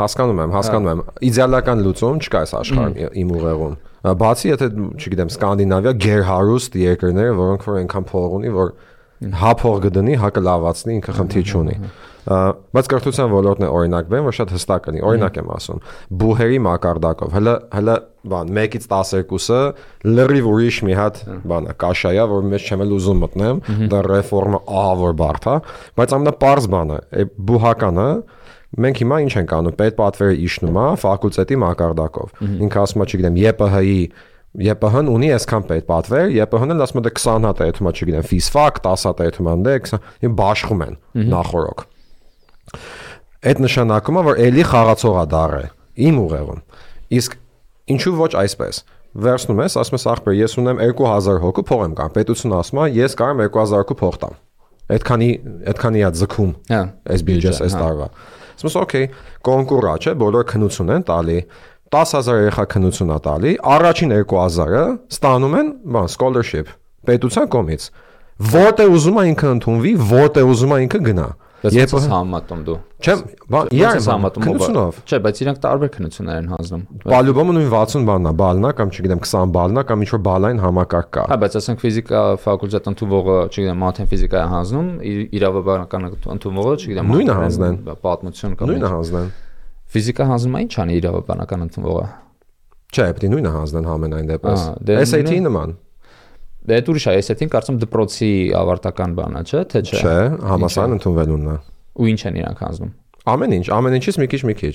Հասկանում եմ։ Իդեալական լուծում չկա այս աշխարհում իմ ուղեղում։ Բացի եթե, չգիտեմ, Սկանդինավիա գերհարուստ երկրները, որոնք որ այնքան փող ունի, որ հա փող գտնի, հա կլավացնի, ինքը խնդիր չունի։ Բայց կրթության ոլորտն է օրինակ բեմ, որ շատ հստակ լինի։ Օրինակ եմ ասում, բուհերի մակարդակով, հələ բան 1-ից 12-ը լրիվ ուրիշ մի հատ բան է, կաշայա, որ մեջ չեմ էլ ուզում մտնեմ, դա ռեֆորմը ահավոր բարդ է, բայց ամենապարզ բանը, բուհականը մենք հիմա ինչ ենք անում, պետպատվերը իջնում է ֆակուլտետի մակարդակով։ Ինքը ասում է, չգիտեմ, ԵՊՀ-ն ունի այսքան պետպատվեր, ԵՊՀ-ն էլ ասում է 20 հատ է այդում, չգիտեմ, ֆիզֆակ, 10 հատ է այդում անդե, 20 բաշխում են նախորոք։ Այդ նշանակում է, որ էլի խաղացող է դառը իմ ուղեղում։ Իսկ ինչու ոչ այսպես։ Վերցնում ես, ասում ես ախպեր, ես ունեմ 2000 հոգու փող եմ կան։ Պետությունը ասում է, ես կարամ 2000 հոգու փող տամ։ Այդքանի է ձգում։ Այս բյուջես այս տարվա։ Ասում ես, օքեյ, կոնկուր է, չէ, բոլոր քնություն են տալի, 10000 երեխա քնություն է տալի, առաջին 2000-ը ստանում են, բան, scholarship, պետության կողմից։ Որտե ուզում է ինքը ընդունվի, որտե ուզում է ինքը գնա։ Ես համատում դու։ Չէ, բան, իրար համատում քնությունով։ Չէ, բայց իրանք տարբեր քնություններ են հանձնում։ Պալյուբոմը նույն 60 բանն է, բալնա կամ չգիտեմ 20 բալնա կամ ինչ որ բալային համակարգ կա։ Հա, բայց ասենք ֆիզիկա ֆակուլտետ ընդունվողը, չգիտեմ, մաթեմ ֆիզիկա է հանձնում, իրավաբանական ընդունվողը, չգիտեմ, նույնը հանձնեն, պատմություն կամ նույնը հանձնեն։ Ֆիզիկա հանձնում է ինչ անի իրավաբանական ընդունվողը։ Չէ, պետք է նույնը հանձնեն համենայն դեպս։ SAT-ի նման։ Դե դուրս է, SAT-ին կարծում դպրոցի ավարտական բանա, չէ, թե չէ։ Չէ, համասարան ընդունվելունն է։ Ու ինչ են իրանք հանձնում։ Ամեն ինչից մի քիչ։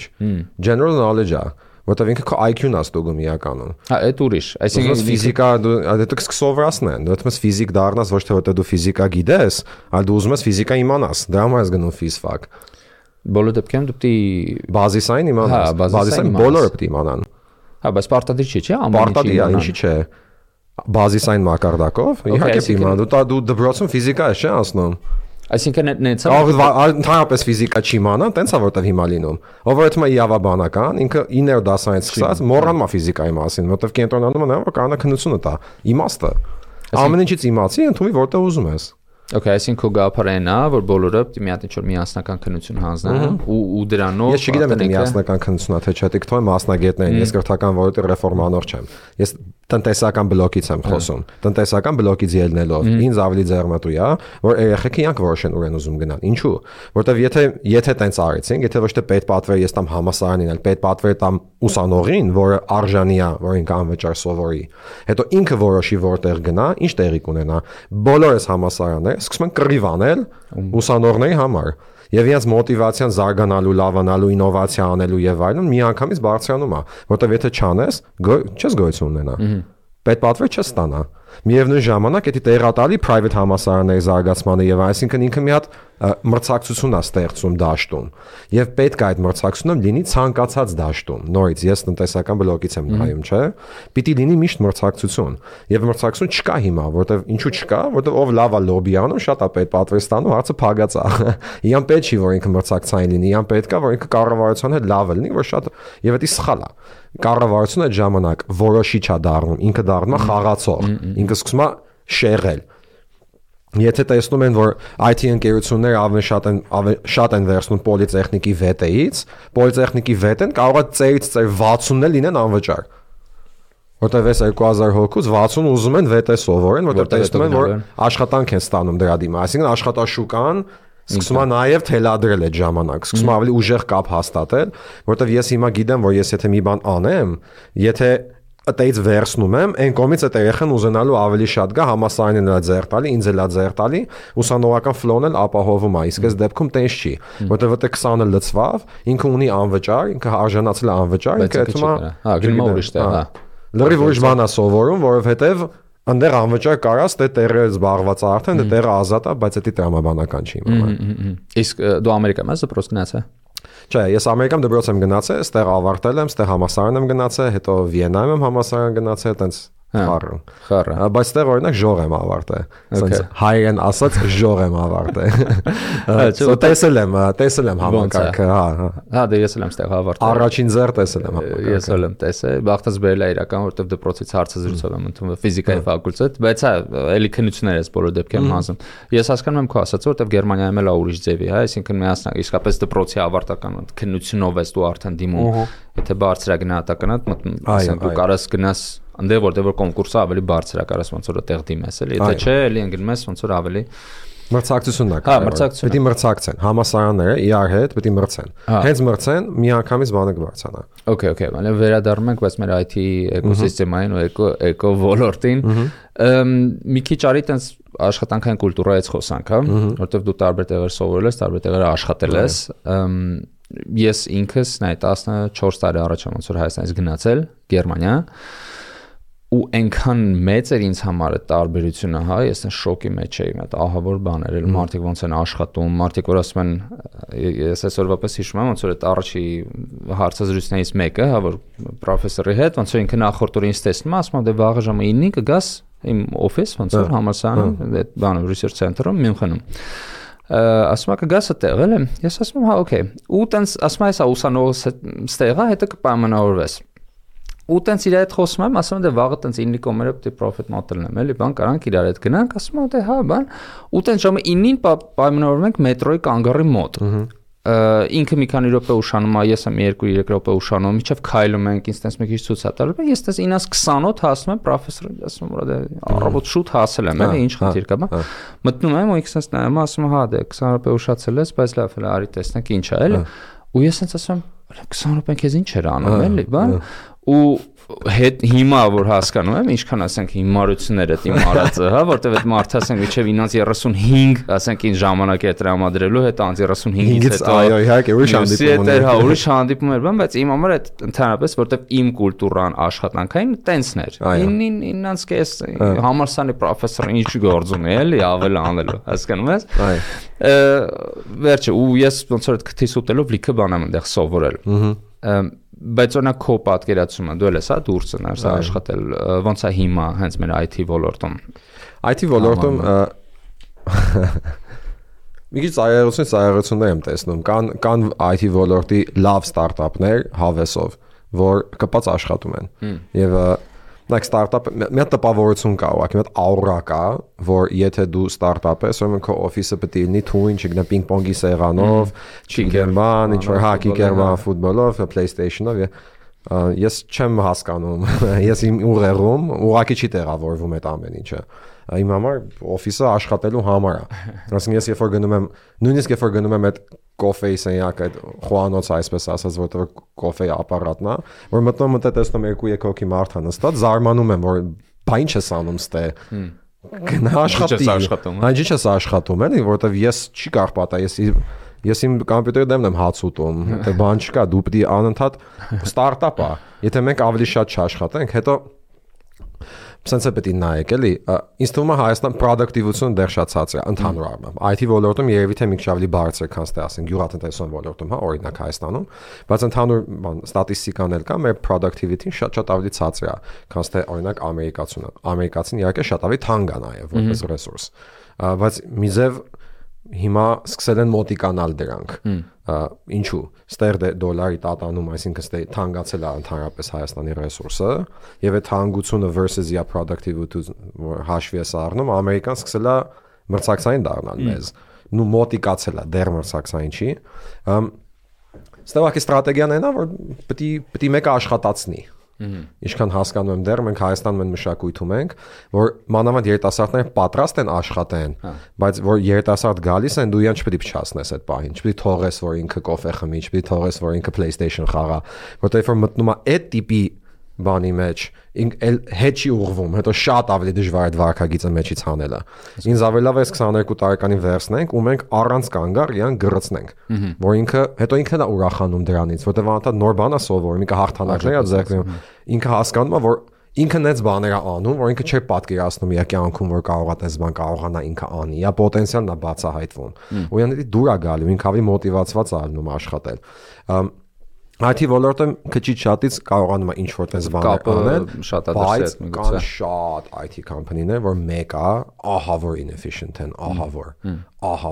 General knowledge է, որտեղ ինքը քո IQ-ն է ստուգում իրականում։ Հա, այդ ուրիշ։ Այսինքն ֆիզիկա դու կսովորացնեն, դու դեռ ֆիզիկ դառնաս ոչ թե որտեղ դու ֆիզիկա գիտես, այլ դու ուզում ես ֆիզիկա իմանաս, դրա համար ես գնում ֆիզֆակ։ Բոլոր դեպքերում դու պետք է բազիսային իմանաս, բազիսային բոլորը պետք է իմանան։ Հա, բայց պարտադիր չի, Պարտադիր է, ինչի՞ չէ։ Բազիսային մակարդակով, իհարկե իմանա, դու դպրոցում ֆիզիկա ես չէ անցնում։ Այսինքն նեցա ընդհանրապես ֆիզիկա չի իմանա, տենց է որտեվ հիմա լինում։ Ով որ թվում է իրավաբանական, ինքը 9-րդ դասից սկսած մոռանում է ֆիզիկայի մասին, որտեվ կենտրոնանում է նա որ կանա քննությունը տա, իմաստը։ Ամեն ինչից իմացի, ընդունի որտեղ ուզում ես։ Okay, այսինքն քո գաղափարն է, որ բոլորը պետք է մի հատ ինչ-որ միասնական քննություն հանձնեն ու դրանով Ես չգիտեմ թե միասնական քննությունա թե չէ, դիք թող մասնագետներ են, ես կրթական ոլորտի ռեֆորմանոր չեմ։ Ես տնտեսական բլոկից եմ խոսում։ Տնտեսական բլոկից ելնելով ինձ ավելի ձեռնտու է, որ երեխեքը իրանք որոշեն ուր են ուզում գնալ։ Ինչու՞։ Որտեվ եթե տենց արեցին, եթե ոչ թե պետպատվեր ես տամ համասարանին, այլ պետպատվեր տամ ուսանողին, որը արժանի է, որ ինքը անվճար սովորի, հետո ինքը որոշի որտեղ գնա, ինչ տեղի կունենա։ Բոլորս համասարաններ սկսում են կռիվ անել ուսանողների համար։ Եվ իրենց մոտիվացիան զարգանալու, լավանալու, ինովացիա անելու եւ այլն միանգամից բարձրանում է, որտեվ եթե չանես, չես գոյություն ունենա։ Պետպատվեր չես ստանա։ Միևնույն ժամանակ դա տեղատալի private համասարանների զարգացմանը եւ այսինքն ինքը մի հատ մրցակցություն է ստեղծում դաշտում եւ պետք է այդ մրցակցությունը լինի ցանկացած դաշտում նորից ես տնտեսական բլոկից եմ նայում չէ պիտի լինի միշտ մրցակցություն եւ մրցակցություն չկա հիմա որտեվ ինչու չկա որտեվ ով լավ է լոբի անում շատ է պետպատվեր ստանում հարցը փագած է իրան պետք չի որ ինքը մրցակցային լինի իրան պետք է որ ինքը կառավարության հետ լավ լինի որ շատ եւ դա սխալ է կառավարությունը այդ ժամանակ որոշիչ է դառնում ինքը դառնում է խաղացող ինքը սկսում է շեղել Եթե տեսնում են, որ IT ընկերությունները ավելի շատ են վերցնում պոլիտեխնիկի վետեից, պոլիտեխնիկի վետեն կարող է ծերից ծեր 60-ն լինեն անվճար։ Որտեղ էս 2000 հոգուց 60 ուզում են վետե սովորեն, որտեղ տեսնում են, որ աշխատանք են ստանում դրա դիմաց։ Այսինքն աշխատաշուկան սկսում է նաև թելադրել այդ ժամանակ, սկսում է ավելի ուժեղ կապ հաստատել, որտեղ ես հիմա գիտեմ, որ ես եթե մի բան անեմ, եթե Այդից վերցնում եմ, այն կողմից այդ երեխան ուզենալու ավելի շատ գա համասարանին էլ ձեռ տալի, ինձ էլ ձեռ տալի, ուսանողական ֆլոն էլ ապահովում է, իսկ այս դեպքում տենց չի, որտեղ այդ 20-ը լծվավ, ինքը ունի անվճար, ինքը արժանացել է անվճար, ինքը այդում է, հա, գնում ուրիշ տեղ, հա։ Լրիվ ուրիշ բան է սովորում, որովհետև այնտեղ անվճար կարաս դե տեղը զբաղված է արդեն, դե տեղը ազատ է, բայց դա տրամաբանական չի իմանում։ Իսկ դու Ամերիկայում ես դպրոց գնացել։ Չէ, ես Ամերիկայում դպրոց եմ գնացել, այստեղ ավարտել եմ, այստեղ համասարան եմ գնացել, հետո Վիեննայում եմ համասարան գնացել, այտենց խառը։ Բայց այստեղ օրինակ ժող եմ ավարտել։ Ասենց հայերեն ասած ժող եմ ավարտել։ Տեսել եմ համակարգը, հա։ Հա, դե ես էլ եմ այստեղ ավարտել։ Առաջին ձեռ տեսել եմ համակարգը։ Ես էլ եմ տեսել, բախտած բերել է իրական, որովհետև դպրոցից հարցազրույցով եմ ընդունվել ֆիզիկայի ֆակուլտետ, բայց հա, էլի քննություններ ես բոլոր դեպքերում հանձնում։ Ես հասկանում եմ քո ասածը, որովհետև Գերմանիայում էլ է ուրիշ ձևի, հա, այսինքն միասնակ իսկապես դպրոցի ավարտական քննությունով ես դու արդեն դիմում։ Եթե բարձրագնահատականդ մտնում, ասենք դու կարաս գնաս այնտեղ որտեղ որ կոնկուրսը ավելի բարձր է, կարաս ոնց որ այդտեղ դիմես էլի, եթե չէ, էլի ընկնում ես ոնց որ ավելի մրցակցությունն է։ Հա, մրցակցություն։ Պետք է մրցակցեն, համասարանները իրար հետ պետք է մրցեն։ Հենց մրցեն, միանգամից բանը կբարձրանա։ Okay, բանը վերադառնում ենք, բայց մեր IT էկոսիստեմային ու էկո ոլորտին մի քիչ արի տենց աշխատանքային կուլտուրայից խոսանք, հա, որովհետև դու տարբեր տեղեր սովորել ես, տարբեր տեղեր աշխատել ես, ես ինքս նայ 14 տարի առաջ ոնց որ Հայաստանից գնացել Գերմանիա ու այնքան մեծ էր ինձ համար այդ տարբերությունը, հա, ես այն շոկի մեջ էի, այդ ահավոր բաներ էլ մարդիկ ոնց են աշխատում, մարդիկ որ ասում են, ես այսօրվա պես հիշում եմ, ոնց որ այդ առաջի հարցազրույցներից մեկը, հա, որ պրոֆեսորի հետ, ոնց որ ինքը նախորդ օրը ինձ տեսնում է, ասում է, դե վաղը ժամը 9-ին կգաս իմ օֆիս, ոնց որ համալսարանում, այդ բանը research center-ում Մյունխենում ասում ա կգաս այդտեղ էլ եմ, ես ասում եմ, հա, օքեյ, ու տենց ասում է, հեսա ուսանողս ստեղա, հետո կպայմանավորվես ու տենց իր հետ խոսում եմ, ասում եմ դե վաղը տենց 9-ի կողմերը պետք է պրոֆիտ մոդելն եմ, էլի բան կարանք իրար հետ գնանք, ասում եմ դե հա բան, ու տենց ժամը 9-ին պայմանավորվում ենք մետրոյի կանգառի մոտ։ Ինքը մի քանի րոպե ուշանում է, ես եմ 2-3 րոպե ուշանում, միջև քայլում ենք, ինձ տենց մի քիչ ցույց է տալու, ես տենց 9:20 հասնում եմ պրոֆեսորին, ասում եմ դե առավոտ շուտ հասել եմ, էլի ինչ խնդիր կա, բա։ Մտնում եմ ու ինքս տենց նայում, ասում եմ հա դե 20 րոպե ուշացել ես, բայց լավ է, արի տեսնենք ինչ է, էլի։ Ու ես տենց ասում եմ 20 րոպեն քեզ ինչ էր անում, էլի, բան։ ու հետ հիմա որ հասկանում եմ ինչքան ասենք հիմարությունները իմ արածը, հա, որտեվ այդ մարդը ասենք իջև 935, ասենք ին ժամանակ է տրամադրելու հետ 935-ից հետո այո, իհարկե ուրիշ հանդիպում էր, հա, ուրիշ հանդիպում էր, բայց իմ համար այդ ընդհանրապես որտեվ իմ կուլտուրան աշխատանքային տենսն էր։ Իննանց կես համալսարանի պրոֆեսորը ինչ գործ ունի էլի ավել անելու, հասկանում ես։ Վերջը ու ես ոնց որ քթիս ուտելով լիքը բան եմ այնտեղ սովորել։ Բայց օրինակ քո պատկերացումը դու ես հա դուրս ես աշխատել ոնց է հիմա հենց մեր IT ոլորտում ոլորտում մի քիչ ծայրություններ եմ տեսնում կան IT ոլորտի լավ ստարտափներ հավեսով որ կպած աշխատում են եւ like startup մի հատ տպավորություն կա ուղղակի մի հատ աուրա կա որ եթե դու ստարտափ ես ուրեմն քո օֆիսը պետք է լինի թույն չգնա պինգ-պոնգի սեղանով չիգերման ինչ որ հակի գերման ֆուտբոլով PlayStation-ով ես չեմ հասկանում ես իմ ուղեղում ուղղակի չի տեղավորվում այդ ամեն ինչը իմ համար օֆիսը աշխատելու համար է ասենք ես երբ որ գնում եմ նույնիսկ երբ որ գնում եմ այդ կոֆեի սենյակ այդ խոհանոցը այսպես ասած որտեղ կոֆեի ապարատն է որ մտնում եմ տեսնում 2-3 հոգի մարդ է նստած զարմանում եմ որ բա ինչ ես անում ստե գնա աշխատի ինչ ես աշխատում էլի որտեղ ես չի կարող պատա ես իմ կոմպյուտերի դեմն եմ հաց ուտում թե բան չկա դու պետք է անընդհատ ստարտափ է եթե մենք ավելի շատ չաշխատենք հետո Սենց է պետք է նայեք էլի ինձ թվում է Հայաստան պրոդուկտիվությունը դեռ շատ ցածր է ընդհանուր առմամբ IT ոլորտում երևի թե մի քիչ ավելի բարձր քան ստե ասենք գյուղատնտեսության ոլորտում հա օրինակ Հայաստանում բայց ընդհանուր ստատիստիկան էլ կա մեր productivity-ն շատ ավելի ցածր է քան ստե օրինակ ամերիկացին իհարկե շատ ավելի թանկ է նաև որպես ռեսուրս բայց մի ձև հիմա սկսել են մոտիկանալ դրանք ինչու ստեր դոլարի տատանում այսինքն ստե թանկացել է ընդհանրապես Հայաստանի ռեսուրսը եւ այդ թանկությունը versus իր productivity հաշվի է առնում ամերիկան սկսել է մրցակցային դառնալ մեզ նու մոտիկացել է դեռ մրցակցային չի ստեվակի ստրատեգիան այնա որ պետք է մեկը աշխատացնի Ինչքան հասկանում եմ դեռ մենք Հայաստանում են մշակույթում ենք որ մանավանդ երիտասարդները պատրաստ են աշխատեն բայց որ երիտասարդ գալիս են դու իրան չպետք է փչացնես այդ պահին չպետք է թողես որ ինքը կոֆե խմի չպետք է թողես որ ինքը PlayStation խաղա որտեղ որ մտնում է այդ տիպի բանի մեջ հետ չի ուղղվում հետո շատ ավելի դժվար է վարքագիծը մեջից հանելը ինձ ավելի լավ է 22 տարեկանին վերցնենք ու մենք առանց կանգար իրան գրծնենք որ ինքը հետո ինքն է ուրախանում դրանից որտեղ անընդհատ նոր բան է սովորում ինքը հաղթանակներ է ձեռքում ինքը հասկանում է որ ինքը նենց բաներ է անում որ ինքը չէ պատկերացնում իր կյանքում որ կարող է տես բան կարողանա ինքը անի իր պոտենցիալն է բացահայտվում ու իրան դուր է գալու ինքը ավելի մոտիվացված է ալնում աշխատել IT ոլորտը քիչ շատից կարողանում է ինչ-որ տես բաներ անել, բայց կան շատ IT կամփանիներ, որ մեկը ահա որ inefficient են, ահա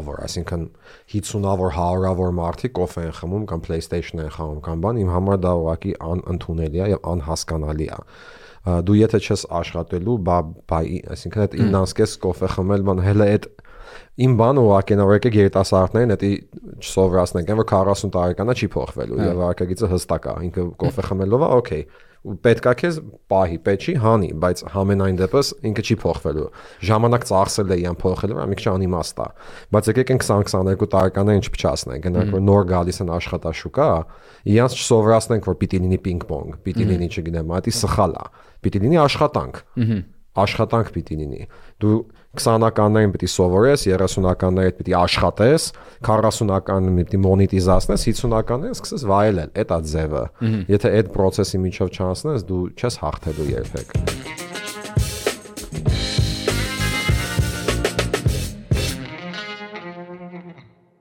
որ, այսինքն 50-ավոր, 100-ավոր մարդիկ կոֆե են խմում կամ PlayStation են խաղում կամ բան, իմ համար դա ուղղակի անընդունելի է եւ անհասկանալի է։ Դու եթե չես աշխատելու, այսինքն այդ 9-ից կոֆե խմել բան հələ այդ Իմ բանը ուղղակի նա որ եկեք երիտասարդներին դա չսովորացնենք, որ 40 տարեկանա չի փոխվելու եւ վարկագիծը հստակ է, ինքը կոֆե խմելով է, օքեյ։ Ու պետքա քեզ պահի, պետք չի հանի, բայց համենայն դեպս ինքը չի փոխվելու։ Ժամանակ ծախսել է իրան փոխելու, մի քիչ անիմաստ է։ Բայց եկեք են 20-22 տարեկաններին չփչացնենք, գնանք որ նոր գալիս են աշխատաշուկա, իրանց չսովորացնենք որ պիտի լինի պինգ-պոնգ, պիտի լինի չգիտեմ, դա սխալ է։ Պիտի լինի աշխատանք։ Աշխատանք պիտի լինի։ Դու 20-ականներին պիտի սովորես, 30-ականներին պիտի աշխատես, 40-ականներին պիտի մոնետիզացնես, 50-ականներին սկսես վայելել, այդ է ձևը։ Եթե այդ process-ի միջով չանցնես, դու չես հաղթելու երբեք։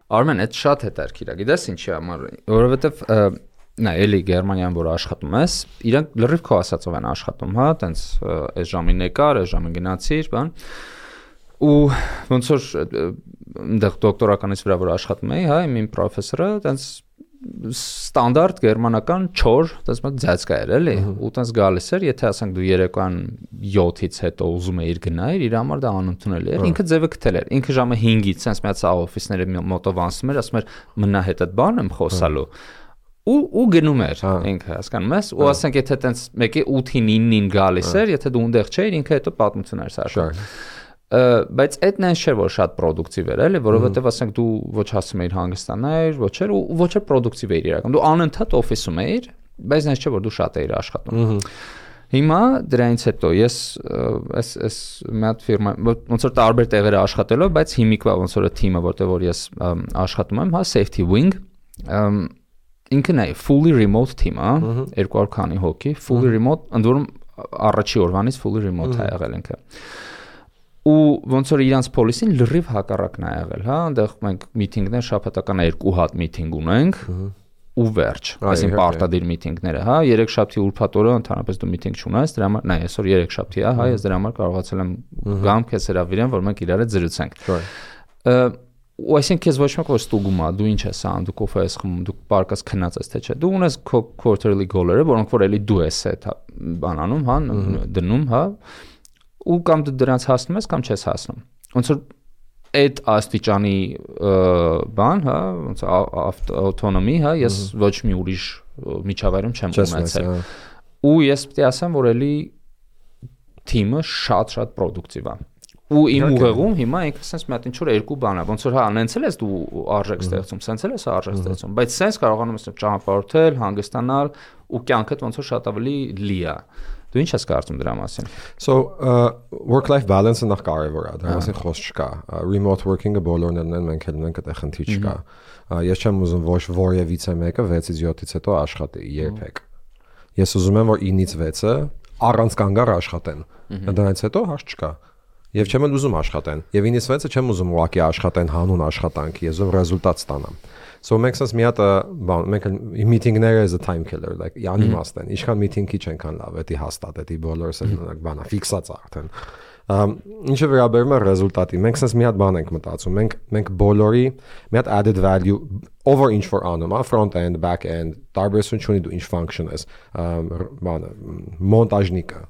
Արմեն, այդ շատ հետաքրքիր է։ Գիտես ինչի համար, որովհետև նա էլի Գերմանիան որ աշխատում ես, իրանք լրիվ քո ասածով են աշխատում, հա, տենց այս ժամին եկար, այս ժամին գնացիր, բան։ Ու ոնց որ այնտեղ դոկտորականից վրա որ աշխատում էի, հա, իմ պրոֆեսորը տենց ստանդարտ գերմանական 4, տես մոտ ձածկա էր, էլի, ու տես գալիս էր, եթե ասենք դու երեկոյան 7-ից հետո ուզում էիր գնայր, իր համար դա անընդունելի էր, ինքը ձևը գտել էր, ինքը ժամը 5-ից, sense միացա օֆիսները մոտով անցնում էր, ասում էր մնա հետ այդ բան եմ խոսալու, ու գնում էր ինքը, հասկանում ես, ու ասենք եթե տենց մեկի 8-ին 9-ին գալիս էր, եթե դու ունտեղ չէիր, ինքը հետո պատմություն էր սարքում։ Բայց այդ նենց չէր որ շատ պրոդուկտիվ էր էլի որովհետև ասենք դու ոչ հասում էիր հանգստանալ ոչ էր ու ոչ էր պրոդուկտիվ էիր իրական դու անընդհատ օֆիսում էիր բայց այնպես չէ որ դու շատ էիր աշխատում։ Հիմա դրանից հետո ես այս մի հատ ֆիրմա ոնց որ տարբեր տեղեր աշխատելով, բայց հիմիկվա ոնց որ թիմը, որտեղ որ ես աշխատում եմ, հա Safety Wing, ինքն է fully remote թիմ, հա, 200 քանի հոգի, fully remote, ընդ որում առաջի օրվանից fully remote է եղել ինքը։ Ու ոնց որ իրանց policy-ին լրիվ հակառակն է եղել, հա, այնտեղ մենք միտինգներ շաբաթական 2 հատ միտինգ ունենք ու վերջ, այսինքն պարտադիր միտինգները, հա, 3 շաբթի ուրբաթ օրը ընդհանրապես դու միտինգ չունես, դրա համար, նայ, այսօր 3 շաբթի է, հա, ես դրա համար կարողացել եմ գամ քեզ հրավիրեմ, որ մենք իրար հետ զրուցենք։ Ու այսինքն քեզ ոչ մեկ որ ստուգում է, դու ինչ ես անում, դու կոֆե ես խմում, դու պարկած քնած ես թե չէ։ Դու ունես քո quarterly goal-երը, որոնք որ էլի դու ես այդ բանանում, հա, դնում, հա, ու կամ դու դրանց հասնում ես կամ չես հասնում։ Ոնց որ այդ աստիճանի բան, հա, ոնց autonomy, հա, ես ոչ մի ուրիշ միջավայրում չեմ ունեցել։ Ու ես պետք է ասեմ, որ էլի թիմը շատ պրոդուկտիվ է։ Ու իմ ուղեղում հիմա ինքը sense մի հատ ինչ որ երկու բան է, ոնց որ հա անցել ես դու արժեք ստեղծում, sense ես արժեք ստեղծում, բայց sense կարողանում ես ճանապարհորդել, հանգստանալ ու կյանքդ ոնց որ շատ ավելի լի է։ Դու ինչ ես կարծում դրա մասին։ So work-life balance-ը նախ կարևոր է, դրա մասին խոսք չկա։ Remote working-ը բոլորն են, մենք էլ ունենք այդ խնդիր չկա։ Ես չեմ ուզում ոչ որևիցե մեկը 6-ից 7-ից հետո աշխատի երբեք։ Ես ուզում եմ որ 9-ից 6-ը առանց կանգառ աշխատեն։ Դրանից հետո հարց չկա։ Եվ չեմ ուզում աշխատեն։ Եւ 9-ից 6-ը չեմ ուզում ուղակի աշխատեն հանուն աշխատանքի, ես ուզում ռեզուլտատ ստանամ։ So makes sense մի հատ բան, մենք միտինգները is a time killer, like անիմաստ են։ Ինչքան միտինգի չենքան լավ, էդի հաստատ, էդի բոլորս են բանա ֆիքսած արդեն։ Ինչը վերաբերում է ռեզուլտատի, մենք sense մի հատ բան ենք մտածում, մենք բոլորի մի հատ added value over ինչ որ անում, front end, back end, տարբերություն չունի դու ինչ function ես, բանը, մոնտաժնիկը։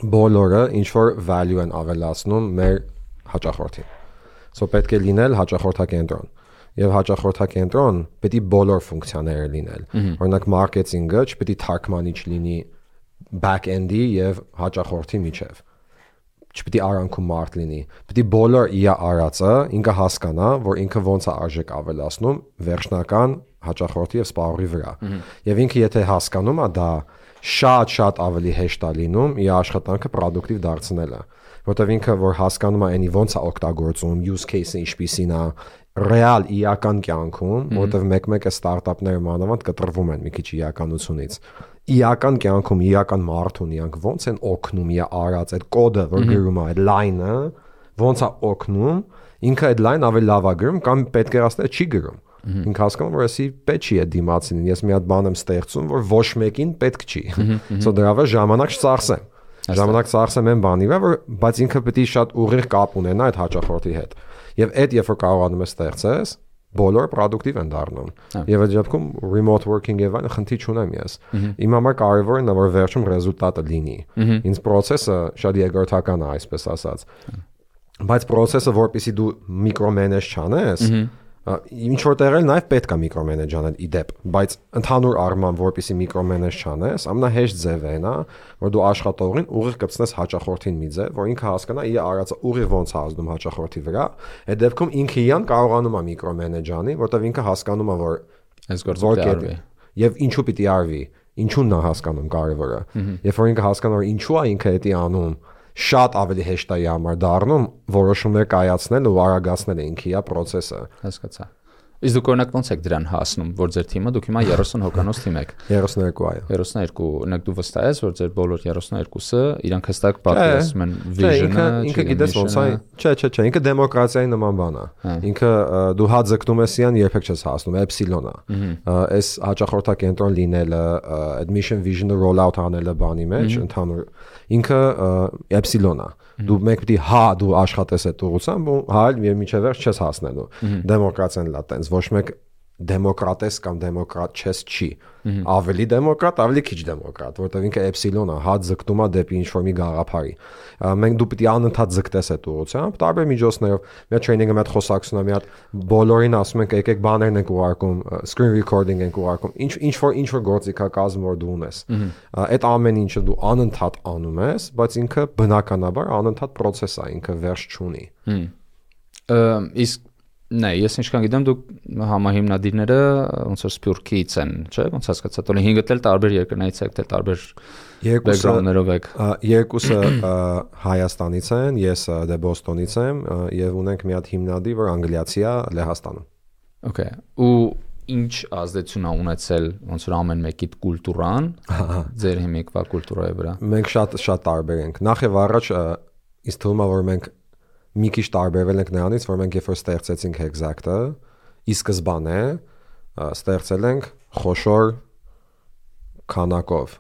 Բոլորը ինչ որ value են ավելացնում մեր հաճախորդին։ So պետք է լինել հաճախորդակենտրոն։ Եվ հաճախորդակենտրոն պետք է բոլոր ֆունկցիաները լինել։ Օրինակ մարքեթինգը չպետք է թարգմանիչ լինի back-end-ի եւ հաճախորդի միջև։ Չպետք է արանքում մարդ լինի։ Պետք է բոլոր իր արածը ինքը հասկանա, որ ինքը ոնց է արժեք ավելացնում վերջնական հաճախորդի եւ սպառողի վրա։ Եվ ինքը եթե հասկանում է դա, շատ ավելի հեշտ է լինում իր աշխատանքը պրոդուկտիվ դարձնելը, որտեղ ինքը որ հասկանում է այնի ոնց է օգտագործում, use case-ը ինչպիսին է, ռեալ իրական կյանքում, որտեղ մեկ-մեկը ստարտափները մանավանդ կտրվում են մի քիչ իրականությունից։ Իրական կյանքում իրական մարդուն իրանք ոնց են օգնում իր արած այդ կոդը, որ գրում է, այդ line-ը, ոնց է օգնում, ինքը այդ line ավելի լավ է գրում կամ պետք է ասել չի գրում։ Ինքը հասկանում որ էսի պետք չի է դիմացին, ես մի հատ բան եմ ստեղծում, որ ոչ մեկին պետք չի։ So դրա վրա ժամանակ չծախսեմ։ Ժամանակ ծախսեմ այն բանի վրա, բայց ինքը պետք է շատ ուղիղ կապ ունենա այդ հաճախորդի հետ։ Եվ այդ երբ որ կարողանում ես ստեղծես, բոլորը պրոդուկտիվ են դառնում։ Եվ այդ դեպքում remote working եւ այն խնդիր չունեմ ես։ Իմ համար կարևորն է որ վերջում ռեզուլտատը լինի։ Ինձ process-ը շատ երկրորդական է, այսպես ասած։ Բայց process-ը որպեսզի դու միկրոմենեջ չանես, ինչ որ տեղել նաև պետք է միկրոմենեջ անել իդեպ, բայց ընդհանուր առմամբ որպեսզի միկրոմենեջ չանես, ամենահեշտ ձևն է, որ դու աշխատողին ուղիղ կպցնես հաճախորդին մի ձև, որ ինքը հասկանա իր արածը ուղիղ ոնց է ազդում հաճախորդի վրա, այդ դեպքում ինքը իրան կարողանում է միկրոմենեջ անի, որտեղ ինքը հասկանում է, որ այս գործը պետք է եւ ինչու պիտի արվի, ինչու՞նն է հասկանում կարևորը։ Երբ որ ինքը հասկանա, որ ինչու է ինքը դա անում, շատ ավելի հեշտ է համար դառնում որոշումներ կայացնել ու արագացնել ինքի իր process-ը։ Հասկացա։ Իսկ դուք օրինակ ոնց եք դրան հասնում, որ ձեր թիմը դուք հիմա 30 հոկանոց թիմ եք։ 32 այո։ 32, օրինակ դու վստահ ես, որ ձեր բոլոր 32-ը իրանք հստակ պատկերացնում են vision-ը, ինքը գիտես ոնց է։ Չէ, ինքը դեմոկրատիայի նման բան է։ Ինքը դու հա ձգտում ես իրան երբեք չես հասնում, էպսիլոն է։ Այս հաճախորդակենտրոն լինելը, admission vision-ը roll out անելը բանի մեջ ընդհանուր ինքը էպսիլոն է։ Դու մեկ պիտի դու աշխատես այդ ուղղությամբ ու եւ միջև վերջ չես հասնելու։ Դեմոկրատիան լա տենց ոչ մեկ դեմոկրատ ես կամ դեմոկրատ չես չի։ Ավելի դեմոկրատ, ավելի քիչ դեմոկրատ, որտեղ ինքը էպսիլոն է, ձգտում է դեպի ինչ-որ մի գաղափարի։ Մենք դու պիտի անընդհատ ձգտես այդ ուղղությամբ, տարբեր միջոցներով, մի հատ training-ը, մի հատ խոսակցությունը, մի հատ բոլորին ասում ենք եկեք բաներն ենք ուղարկում, screen recording ենք ուղարկում, ինչ-որ գործիքակազմ որ դու ունես։ Այդ ամեն ինչը դու անընդհատ անում ես, բայց ինքը բնականաբար անընդհատ process է, ինքը վերջ չունի։ Իսկ Նայ, ես ինչքան գիտեմ, դուք համահիմնադիրները ոնց որ Սփյուռքից են, չէ՞, ոնց հասկացա, տոլի 5-ը էլ տարբեր երկրներից եք, թե տարբեր բեքգրաունդներով եք։ Երկուսը Հայաստանից են, ես դե Բոստոնից եմ եւ ունենք մի հատ հիմնադիր, որ անգլիացի է Լեհաստանում։ Okay, ու ինչ ազդեցություն ա ունեցել ոնց որ ամեն մեկի կուլտուրան, ձեր հիմիկվա կուլտուրայի վրա։ Մենք շատ տարբեր ենք։ Նախ եւ առաջ ինձ թվում է, որ մենք մի քիչ տարբերվել ենք նրանից, որ մենք երբ որ ստեղծեցինք Exact-ը, ի սկզբանե ստեղծել ենք խոշոր քանակով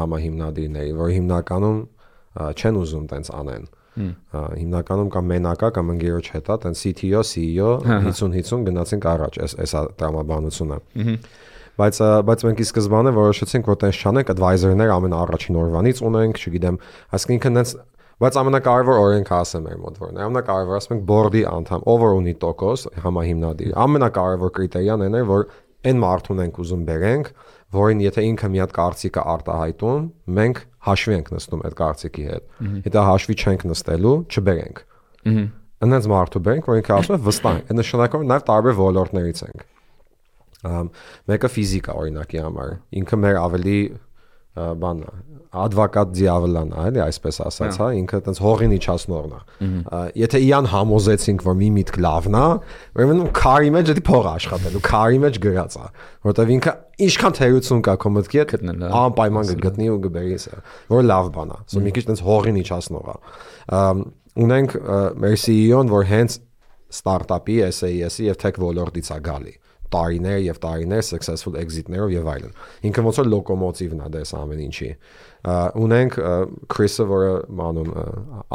համահիմնադիրների, որ հիմնականում չեն ուզում տենց անեն։ Հիմնականում կամ մենակա կամ ընկերոջ հետ է, տենց CTO, CEO 50-50 գնացինք առաջ, էս տրամաբանությունը։ Բայց մենք ի սկզբանե որոշեցինք, որ տենց չանենք, advisor-ներ ամեն առաջին օրվանից ունենք, չգիտեմ, այսինքն տենց. Բայց ամենակարևոր օրենքը ասեմ մեր մոտ, որ ամենակարևորը ասում ենք board-ի անդամ, ով որ ունի տոկոս համահիմնադիր։ Ամենակարևոր կրիտերիան այն է, որ այն մարդուն ենք ուզում բերենք, որին եթե ինքը մի հատ կարծիք է արտահայտում, մենք հաշվի ենք նստում այդ կարծիքի հետ։ Եթե հաշվի չենք նստելու, չբերենք։ Այնպես մարդու բերենք, որ ինքը ասում է վստահ ենք։ Այդ նշանակում նաև տարբեր ոլորտներից ենք։ Մեկը ֆիզիկա օրինակի համար։ Ինքը մեր ավելի բան է, advocat դիավոլան է, էլի այսպես ասած, հա, ինքը այտենց հողին իջացնողն է։ Եթե իրան համոզեցինք, որ մի միտք լավն է, ուրեմն քարի մեջ դա փող աշխատելու, քարի մեջ գրած է, որովհետև ինքը ինչքան թերություն կա քո մտքի հետ, անպայման կգտնի ու կբերի սա, որ լավ բան է։ Սա մի քիչ այտենց հողին իջացնող է։ Ունենք մեր CEO-ն, որ հենց ստարտափի, SaaS-ի եւ tech ոլորտից է գալի։ Տարիներ successful exit-ներով եւ այլն։ Ինքը ոնց որ լոկոմոտիվն է դες ամեն ինչի։ Ունենք Chris-ը, որը անում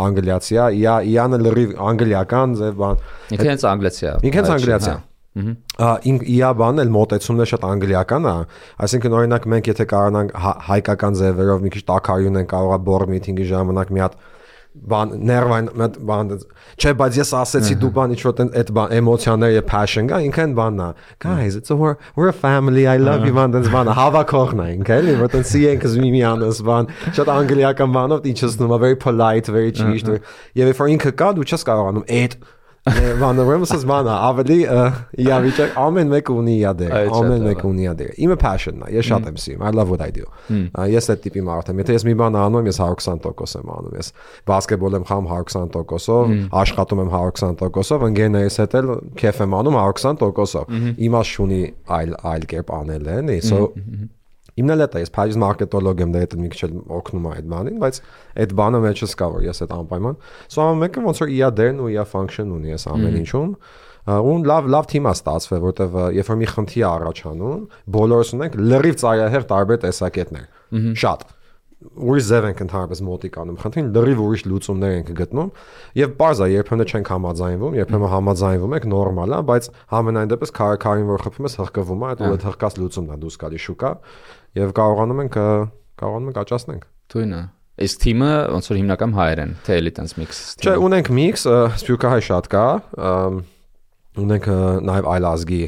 անգլիացի է, իանը լրիվ անգլիական ձև բան։ Ինքը հենց անգլիացի է։ Ինքը հենց անգլիացի է։ Իա բանն էլ մոտեցումն է շատ անգլիական է, այսինքն օրինակ մենք եթե կարողանանք հայկական ձևերով մի քիչ տակարյուն են կարողա board meeting-ի ժամանակ մի հատ բան ներվային բան չէ, բայց ես ասեցի դու բան ինչ-որ այդ բան էմոցիաներ եւ passion կա, ինքն բանն է, guys, we're a family, I love you, բան հավաքողն է ինքը, էլի, որ տենց ենք զմի անս բան, շատ անգլիական բանով իջեցնում է, very polite, very ճիշտ, եւ if ինքը կա դու չես կարողանում այդ բանը ուրեմն բանը ավելի իավիճակ ամեն մեկը ունի իադեր իմը passion-ն է, ես շատ եմ սիրում, I love what I do, ես այդ տիպի մարդ եմ, եթե ես մի բան անում ես 120% եմ անում, ես բասկետբոլ եմ խաղում 120%-ով, աշխատում եմ 120%-ով, ընկերներիս հետ էլ քեֆ եմ անում 120%-ով, իմաստ չունի այլ կերպ անել էլի, so Իմն էլ է, ես փայլիս մարքետոլոգ եմ, դա այդ մի քիչ օգնում է այդ բանին, բայց այդ բանը մեջս կա, որ ես այդ անպայման։ Սա մեկը ոնց որ իա դերն ու իա function ունի ես ամեն ինչում։ Ու լավ թիմ է ստացվել, որտեվ երբ որ մի խնդիր է առաջանում, բոլորս ունենք լրիվ ծայրահեղ տարբեր տեսակետներ։ Շատ ուրիշ ձև ենք ընդհանրապես մոտիկ անում խնդրին, լրիվ ուրիշ լուծումներ ենք գտնում եւ բարձ է երբեմն չենք համաձայնվում, երբեմն համաձայնվում ենք նորմալ է, բայց համենայն դեպս քարին որ խփում ես հղկվում է, այդ հղկած լուծումն է դուրս գալի շուկա եւ կարողանում ենք աճացնենք։ Թույնը Իսկ թիմը ոնց որ հիմնական հայեր են, թե էլի տենց միքս։ Չէ, ունենք միքս, սփյուռքահայ շատ կա, ունենք նաև այլ ազգի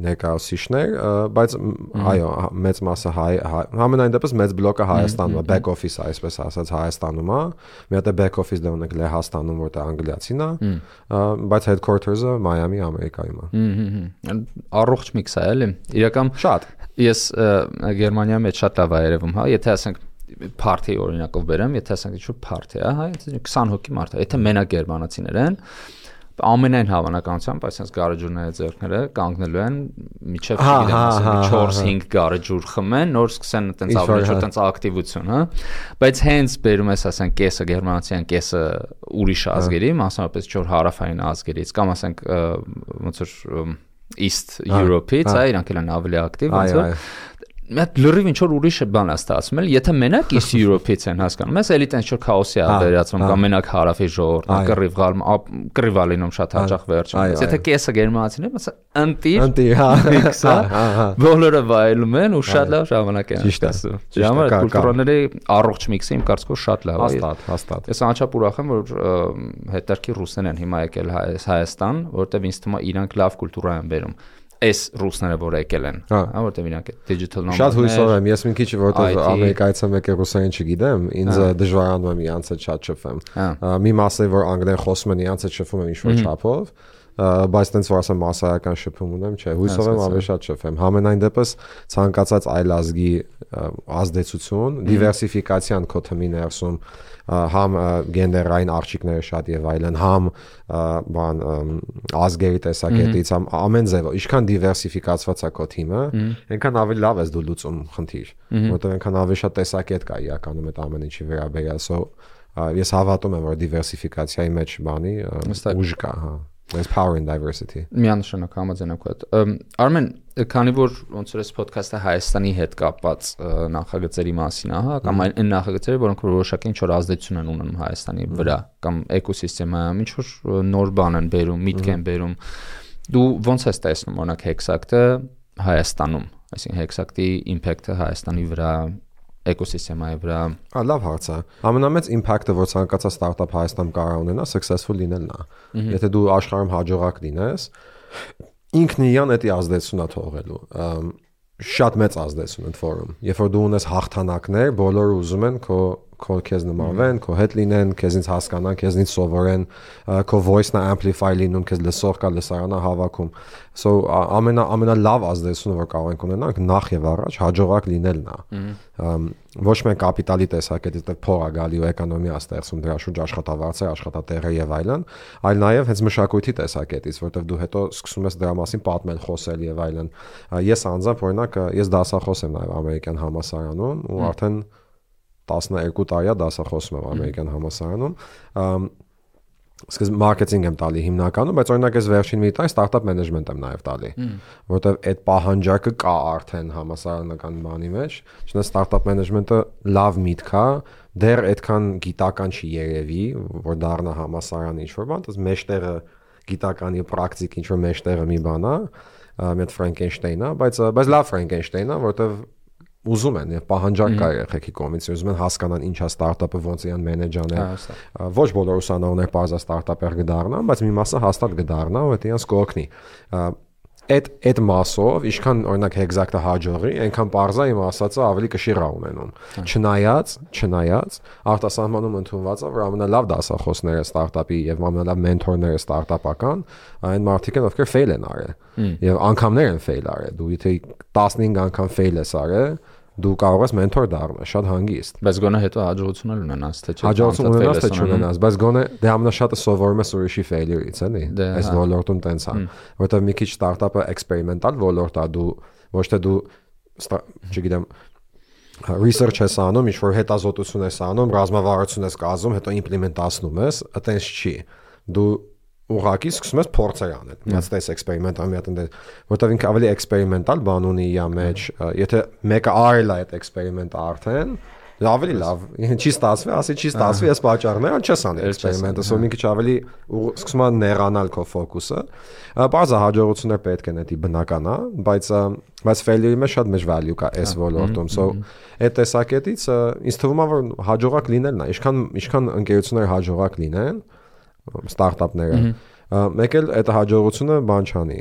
ներկայացուցիչներ, բայց այո, մեծ մասը հայ, համենայն դեպս մեծ բլոկը Հայաստանում է, back office-ը, այսպես ասած Հայաստանում է, մի հատ back office դե ունենք Լեհաստանում, որտեղ անգլիացին է, բայց headquarters-ը Մայամի, Ամերիկայում է։ Առողջ միքս է, էլի։ Իրական շատ։ Ես Գերմանիայում այդ շատ լավ է երևում, հա, եթե ասենք party օրինակով բերեմ, եթե ասենք ինչ-որ party է, հա, 20 հոգի մարդ է, եթե մենակ գերմանացիներ են, ամենայն հավանականությամբ այսպես գարեջուրները ձեռքները կանգնելու են միջև չգիտեմ 4-5 գարեջուր խմեն, նոր սկսեն այտենց ավելի շատ այտենց ակտիվություն, հա, բայց հենց բերում ես ասենք կեսը գերմանացիան, կեսը ուրիշ ազգերի, մասնավորապես չոր հարավային ազգերից, կամ ասենք ոնց որ East Europe-ից, այ իրանք են ավելի ակտիվ, ոնց որ Մետ լրիվ ինչ որ ուրիշ բան է ստացվում էլ, եթե մենակ East Europe-ից են հասկանում, ես էլի տենց ինչ որ քաոսի է վերածվում, կամ մենակ հարավի ժողովուրդն կռիվ ալինում շատ հաճախ վերջում։ Եթե կեսը գերմանացիներ, մասը ընտիր, հա, բոլորը վայելում են ու շատ լավ ժամանակ են անցկացնում։ Ժամանակ կուլտուրաների առողջ միքսը իմ կարծիքով շատ լավ է։ Հաստատ։ Ես անչափ ուրախ եմ, որ հետարքի ռուսներն են հիմա եկել Հայաստան, որտեղ ինձ թվում է իրանք լավ կուլտուրա են բերում։ Այս ռուսները որ եկել են, հա, որտեղ իրանք digital nomad-ներ։ Շատ հույսով եմ, ես մի քիչ որտեղ Ամերիկայից եմ եկել ռուսերեն չգիտեմ, ինձ դժվարանում եմ իրանց հետ շատ շփվեմ։ Մի մասը որ անգլերեն խոսում են, իրանց հետ շփվում եմ ինչ-որ չափով, բայց տենց որ ասեմ massայական շփում ունեմ, չէ, հույսով եմ ավելի շատ շփեմ։ Համենայն դեպս ցանկացած այլ ազգի ազդեցություն, դիվերսիֆիկացիան քո թմի ներսում համ գենդերային արժիքները շատ եւ այլն, համ բան ազգերի տեսակետից, համ ամեն ձևով, ինչքան դիվերսիֆիկացված է քո թիմը, այնքան ավելի լավ ես դու լուծում խնդիր, որտեղ այնքան ավելի շատ տեսակետ կա իրականում այդ ամեն ինչի վերաբերյալ, ես հավատում եմ, որ դիվերսիֆիկացիայի մեջ բանի ուժ կա, հա։ There's power in diversity. Միանշանակ համաձայն եմ քեզ։ Արմեն, քանի որ ոնց որ այս ոդքասթը Հայաստանի հետ կապված նախագծերի մասին է, հա, կամ այն նախագծերը, որոնք որոշակի ինչ-որ ազդեցություն են ունենում Հայաստանի վրա, կամ էկոսիստեմայում ինչ-որ նոր բան են բերում, միտք են բերում, դու ոնց ես տեսնում օրինակ Hexact-ը Հայաստանում, այսինքն Hexact-ի impact-ը Հայաստանի վրա էկոսիստեմայի վրա։ Լավ հարց է։ Ամենամեծ impact-ը, որ ցանկացած ստարտափ Հայաստանում կարող ունենա, successful լինելն է։ Եթե դու աշխարհում հաջողակ լինես, ինքն իրան էդի ազդեցություն է թողելու։ Շատ մեծ ազդեցություն ընդ որում։ Երբ որ դու ունես հաղթանակներ, բոլորը ուզում են քո քեզ նմանվեն, քո հետ լինեն, քեզնից հասկանան, քեզնից սովորեն, քո voice-ն amplify լինում, քեզ լսող կա լսարանա հավաքում։ So ամենալավ ազդեցությունը, որ կարող ենք ունենանք, նախ եւ առաջ հաջողակ լինելն է։ Ոչ միայն կապիտալի տեսակետից, դեռ փող է գալի ու էկոնոմիա ստեղծում դրա շուրջ աշխատավարձեր, աշխատատեղեր եւ այլն, այլ նաեւ հենց մշակույթի տեսակետից, որտեղ դու հետո սկսում ես դրա մասին պատմել, խոսել եւ այլն։ Ես անձամբ օրինակ ես դասախոս եմ նաեւ ամերիկյան համալսարանում ու արդեն 12 տարի է դասախոսում եմ ամերիկյան համալսարանում։ Սկզբ մարքեթինգ եմ տալի հիմնականում, բայց օրինակ ես վերջին մի տարի ստարտափ մենեջմենտ եմ նաև տալի, որովհետև այդ պահանջարկը կա արդեն համալսարանական բանի մեջ, չնայած ստարտափ մենեջմենտը լավ միտք է, դեռ այդքան գիտական չի երևի, որ դառնա համալսարան ինչ-որ բան, դες մեջտեղը գիտական եւ պրակտիկ ինչ-որ մեջտեղը մի բան է, մի հատ Ֆրանկենշտեյն է, բայց լավ Ֆրանկենշտեյն է, որովհետև ուզում են եւ պահանջարկ կա երեխեքի կողմից, ուզում են հասկանան ինչ է ստարտափը, ոնց իրան մենեջ անել։ Ոչ բոլոր ուսանողներ բարձր ստարտափեր կդառնան, բայց մի մասը հաստատ կդառնա, ու դա իրենց կօգնի։ Այդ մասով, ինչքան օրինակ Hexact-ը հաջողի, այնքան բարձր իմ ասածը ավելի կշիռ է ունենում։ Չնայած արտասահմանում ընդունված է, որ ամենալավ դասախոսները ստարտափի եւ ամենալավ մենթորները ստարտափական այն մարդիկ են, ովքեր fail են արել։ Եվ անգամներ են fail արել։ Դու եթե 15 անգամ fail ես արել, դու կարող ես մենթոր դառնալ, շատ հանգիստ։ Բայց գոնե հետո հաջողություն ունենաս, թե չէ։ Հաջողություն ունենաս, թե չունենաս, բայց գոնե դե ամենաշատը սովորում ես ուրիշի failure-ից, էլի։ Այս ոլորտում տենց է, որովհետև մի քիչ ստարտափը էքսպերիմենտալ ոլորտ է, դու ոչ թե դու, չգիտեմ, research ես անում, ինչ-որ հետազոտություն ես անում, ռազմավարություն ես կազմում, հետո իմպլեմենտացնում ես, այտենց չի։ Դու ուղղակի սկսում ես փորձեր անել։ Միած տես էքսպերիմենտալ, մի հատ ընդ, որտեղ ինքը ավելի էքսպերիմենտալ բան ունի իր մեջ, եթե մեկը արել է այդ էքսպերիմենտը արդեն, ավելի լավ, չի ստացվի, ասի չի ստացվի, այս պատճառները չես անի էքսպերիմենտը, սո մի քիչ ավելի սկսում է նեղանալ քո ֆոկուսը։ Բարձր հաջողություններ պետք են, դա բնական է, բայց failure-ի մեջ շատ մեծ value կա այս ոլորտում, so այդ տեսակետից ինձ թվում է, որ հաջողակ լինելն է, ինչքան ընկերությունները հաջողակ լինեն, ստարտափները, մեկ էլ այդ հաջողությունը բան չանի,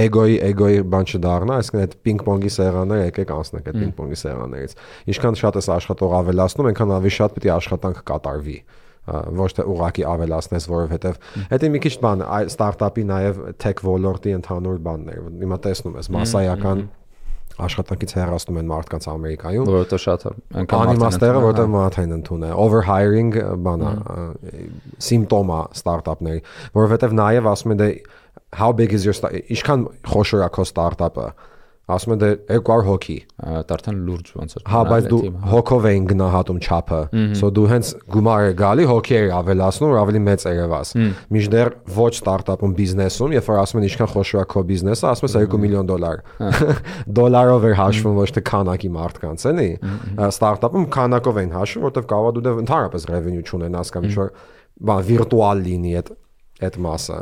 էգոյի բան չդառնա, այսինքն այդ պինգ-պոնգի սեղանները եկեք անցնեք այդ պինգ-պոնգի սեղաններից։ Ինչքան շատ ես աշխատող ավելացնում, այնքան ավելի շատ պետք է աշխատանք կատարվի, ոչ թե ուղղակի ավելացնես, որովհետև դա մի քիչ բան ստարտափի նաև tech ոլորտի ընդհանուր բանն է։ Հիմա տեսնում ես մասսայական աշխատանքից հեռացնում են մարդկանց Ամերիկայում, որովհետև շատ անիմաստերը, որովհետև մարդային ընդուն է, overhiring բանա, սիմպտոմ է ստարտափների, որովհետև նաև ասում են դե how big is your ինչքան խոշոր է քո ստարտափը, ասում են դե 200 հոգի, արդեն լուրջ ոնց է։ Հա, բայց դու հոգով էին գնահատում չափը, so դու հենց գումարը գալի հոգիեր ավելացնում, ավելի մեծ երևաս։ Մինչդեռ ոչ ստարտափում բիզնեսում, երբ որ ասում են ինչքան խոշոր է քո բիզնեսը, ասում ես $2 միլիոն։ Դոլարով էր հաշվում, ոչ թե քանակի մարդկանց, էլի։ Ստարտափում քանակով էին հաշվում, որովհետև կարող է դու ընդհանրապես revenue չունենաս կամ ինչ-որ բան վիրտուալ լինի այդ մասը։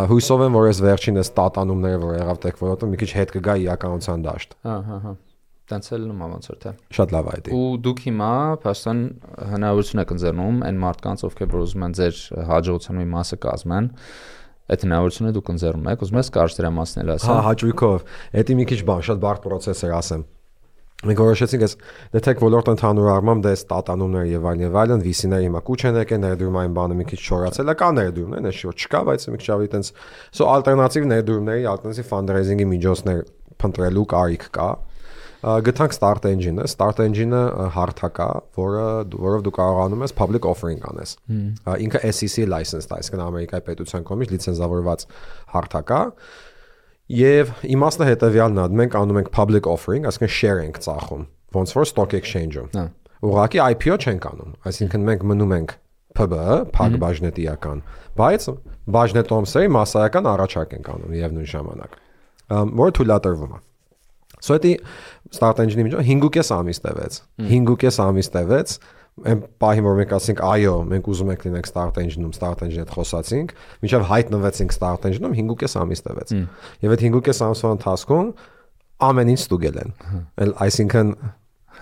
Հույսով եմ, որ այս վերջինս տատանումները, որ եղավ տեխնոլոգիա, մի քիչ հետ կգա իրականության դաշտ։ Հա։ Տենց էլ նույն ոնց որ թե։ Շատ լավ այդ է։ Ու դուք հիմա փաստորեն հնարավորություն եք ընձեռնում այն մարդկանց, ովքեր որ ուզում են ձեր հաջողության մի մասը կազմեն, այդ հնարավորությունը դուք ընձեռում եք, ուզում ես կարճ դրա մասն էլ ասեմ։ Հա, հաճույքով։ Դա մի քիչ բան, շատ բարդ process էր ասեմ։ Մենք որոշեցինք այս դեթեք ոլորտը ընդհանուր առմամբ դա ստատանումներ եւ այլն VC-ները հիմա կուչ են եկել ներդրումային բանը մի քիչ չորացել է կա ներդրումներ այս շուտ չկա բայց մի քիչ ավելի տենց սո ալտերնատիվ ներդրումների ալտերնատիվ ֆանդրեյզինգի միջոցներ փնտրելու կարիք կա գտանք Start Engine-ը Start Engine-ը հարթակ է որով դու կարողանում ես public offering անես ինքը SEC license-ը այսինքն Ամերիկայի պետության կողմից լիցենզավորված հարթակ է Եվ իմաստը հետևյալն է, մենք անում ենք public offering, այսինքն share ենք ծախում, ոնց որ stock exchange-ում։ Ուղղակի IPO չենք անում, այսինքն մենք մնում ենք PB, փակ բաժնետիական, բայց բաժնետոմսերի մասսայական առաջարկ ենք անում եւ նույն ժամանակ, որը թույլատրվում է։ Սա դա Start Engine-ի միջոց 5.5 ամիս տևեց։ 5.5 ամիս տևեց Այն պահին որ մենք ասենք այո, մենք ուզում ենք լինենք Start Engine-ում, Start Engine-ի հետ խոսացինք, մինչև հայտնվեցինք Start Engine-ում 5.5 ամիս տևեց։ Եվ այդ 5.5 ամսվա ընթացքում ամեն ինչ ստուգել են։ Այսինքն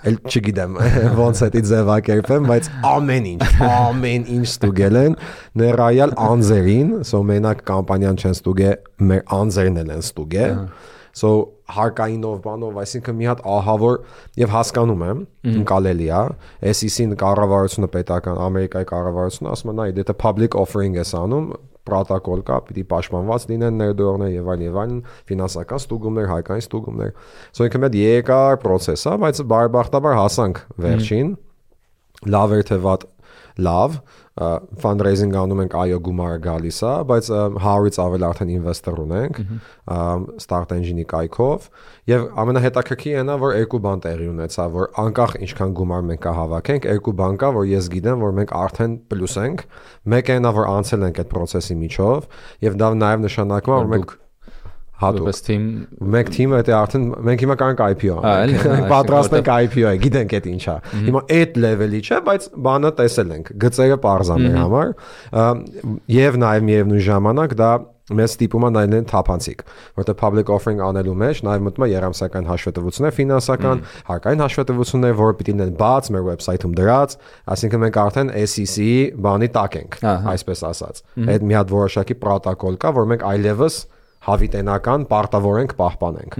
էլ չգիտեմ ոնց է դա ձևակերպեմ, բայց ամեն ինչ ստուգել են, ներառյալ անձերին, սո մենակ կամպանիան չեն ստուգել, մեր անձերն են ստուգել։ So հարկայինով բանով, այսինքն մի հատ ահավոր եւ հասկանում եմ, ընկալելի է, SEC-ին կառավարությունը պետական Ամերիկայի կառավարությունը ասում է, նայ, դա public offering է անում, պրոտոկոլ կա, պիտի պաշտպանված լինեն ներդրողներ եւ այլն, ֆինանսական ստուգումներ, հարկային ստուգումներ։ So ինքը մեծ երկար process է, բայց բարեբախտաբար հասանք վերջին, լավ էր թե վատ լավ fundraising անում ենք այո գումարը գալիս է բայց 100-ից ավել արդեն ինվեստոր ունենք Start Engine-ի կայքով եւ ամենահետաքրքիրն է որ երկու բան տեղի ունեցա որ անկախ ինչքան գումար մենք կհավաքենք երկու բան կա որ ես գիտեմ որ մենք արդեն պլյուս ենք մեկը նա որ անցել ենք այդ process-ի միջով եւ դա նաեւ նշանակում է որ մենք հատուկ մեկ թիմը դա արդեն մենք հիմա կանք IPO մենք պատրաստ ենք IPO-ը գիտենք այդ ինչա հիմա այդ level-ի չէ բայց բանը տեսել ենք գծերը parza մեր համար եւ նաեւ միևնույն ժամանակ դա մեզ ստիպում է նայել թափանցիկ որտեղ public offering անելու մեջ նաեւ մտնում է երամսական հաշվետվություններ ֆինանսական հարկային հաշվետվություններ որը պիտի լինեն բաց մեր website-ում դրած այսինքն մենք արդեն SEC-ի բանի տակ ենք այսպես ասած այդ մի հատ որոշակի պրոտոկոլ կա որ մենք այլևս հավիտենական պարտավոր ենք պահպանենք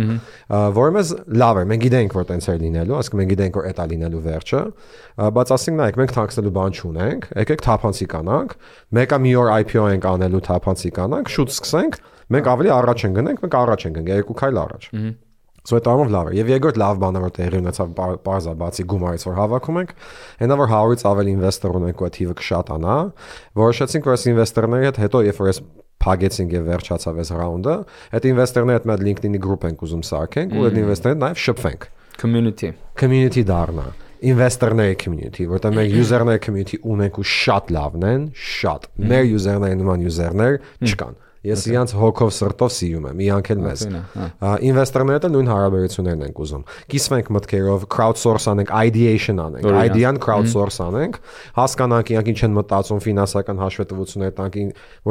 որը մեզ լավ է մենք գիտենք որ տենց է լինելու ասենք մենք գիտենք որ դա լինելու վերջը բայց ասենք նայեք մենք թաքցնելու բան չունենք եկեք թափանցիկ անանք մեկը մի օր IPO ենք անելու թափանցիկ անանք շուտ սկսենք մենք ավելի առաջ ենք գնենք մենք առաջ ենք գնանք երկու քայլ առաջ Սա տամով լավ է եւ երկրորդ լավ բանը որ տեղի ունեցավ բարձա բացի գումարից որ հավաքում ենք այնա որ 100-ից ավել ինվեստոր ունենք ու թիվը կշատանա որոշեցինք որ այս ինվեստորների հետ հետո երբ որ այս փագեցինք եւ վերջացավ այս ռաունդը այդ ինվեստորների հետ մեր LinkedIn-ի գրուպ ենք ուզում սարքենք ու այդ ինվեստորները նաեւ շփվենք community դառնա investor-ների community որտեղ մեր user-ների community ունենք ու շատ լավն են շատ մեր user-ների նման user-ներ չկան Ես իրանց հոգով սրտով սիրում եմ, իրանք էլ մեզ։ Ինվեստորները էլ նույն հարաբերություններն ենք ուզում։ Կիսվենք մտքերով, crowdsource անենք, ideation անենք, idea-ն crowdsource անենք, հասկանանք իրանք ինչ են մտածում ֆինանսական հաշվետվություններ տանք,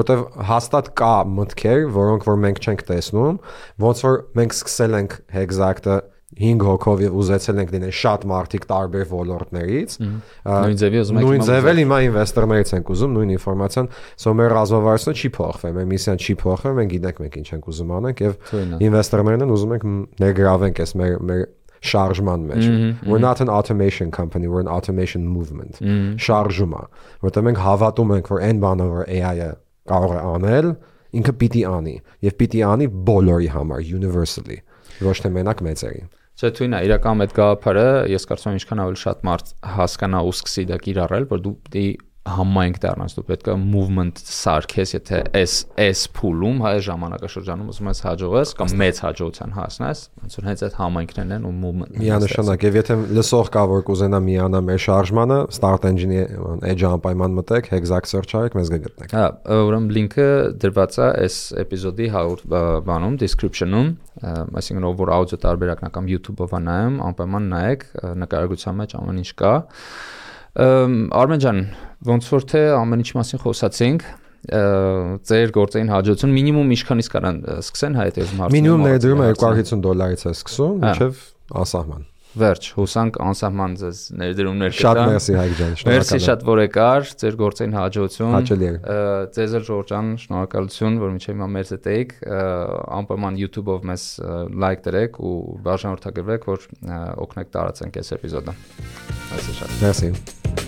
որտեղ հաստատ կա մտքեր, որոնք որ մենք չենք տեսնում, ոնց որ մենք սկսել ենք Hexact-ը 5 հոգով եւ ուզեցել ենք լինել շատ մարդիկ տարբեր ոլորտներից նույն ձևի ուզում ենք նույն ձևել հիմա ինվեստորներից ենք ուզում նույն ինֆորմացիան սո մեր ռազմավարությունը չի փոխվել մեր միսիան չի փոխվել մենք գիտենք մենք ինչ ենք ուզում անենք եւ ինվեստորներն են ուզում ենք ներգրավենք այս մեր շարժման մեջ we're not an automation company we're an automation movement շարժումը որտեղ մենք հավատում ենք որ այն բանը որ AI-ը կարող է անել ինքը պիտի անի եւ պիտի անի բոլորի համար universally ոչ թե մենակ մեծերի Չէ, թույն է, իրական այդ գաղափարը, ես կարծում եմ ինչքան ավելի շատ մարդ հասկանա ու սկսի դա կիրառել, որ դու պիտի համայնք դառնաս, դու պետք է movement սարքես, եթե այս փուլում հայ ժամանակաշրջանում ուզում ես հաջողես կամ մեծ հաջողության հասնես, ոնց որ հենց այդ համայնքներն են ու movement-ը։ Միանշանակ, եւ եթե լսող կա որ կուզենա միանա մեր շարժմանը, Start Engine-ի edge անպայման մտեք, Hexact search արեք, մեզ կգտնեք։ Հա, ուրեմն լինքը դրված է այս էպիզոդի բանում, description-ում, այսինքն ով որ աուդիո տարբերակն կամ YouTube-ով նայում, անպայման նայեք, նկարագրության մեջ ամեն ինչ կա։ Արմեն ջան, ոնց որ թե ամեն ինչ մասին խոսացինք, ձեր գործային հաջողություն մինիմում ինչքանից կարան սկսեն հայտարարում հարցը։ Մինիմում ներդրումը $250 է սկսում, մինչև ասահման։ Վերջ, հուսանք անսահման ձեզ ներդրումներ կտա։ Շատ մերսի Հայկ ջան, շնորհակալ եմ։ Մերսի շատ որ եկար, ձեր գործին հաջողություն։ Հաճելի է։ Ձեզ էլ Ժորժ ջան, շնորհակալություն, որ մինչև հիմա մեզ հետ եք, անպայման YouTube-ով մեզ լայք դրեք ու բաժանորդագրվեք, որ օգնեք տարածենք այս էպիզոդը։ Այսինքն շատ։ Մերսի։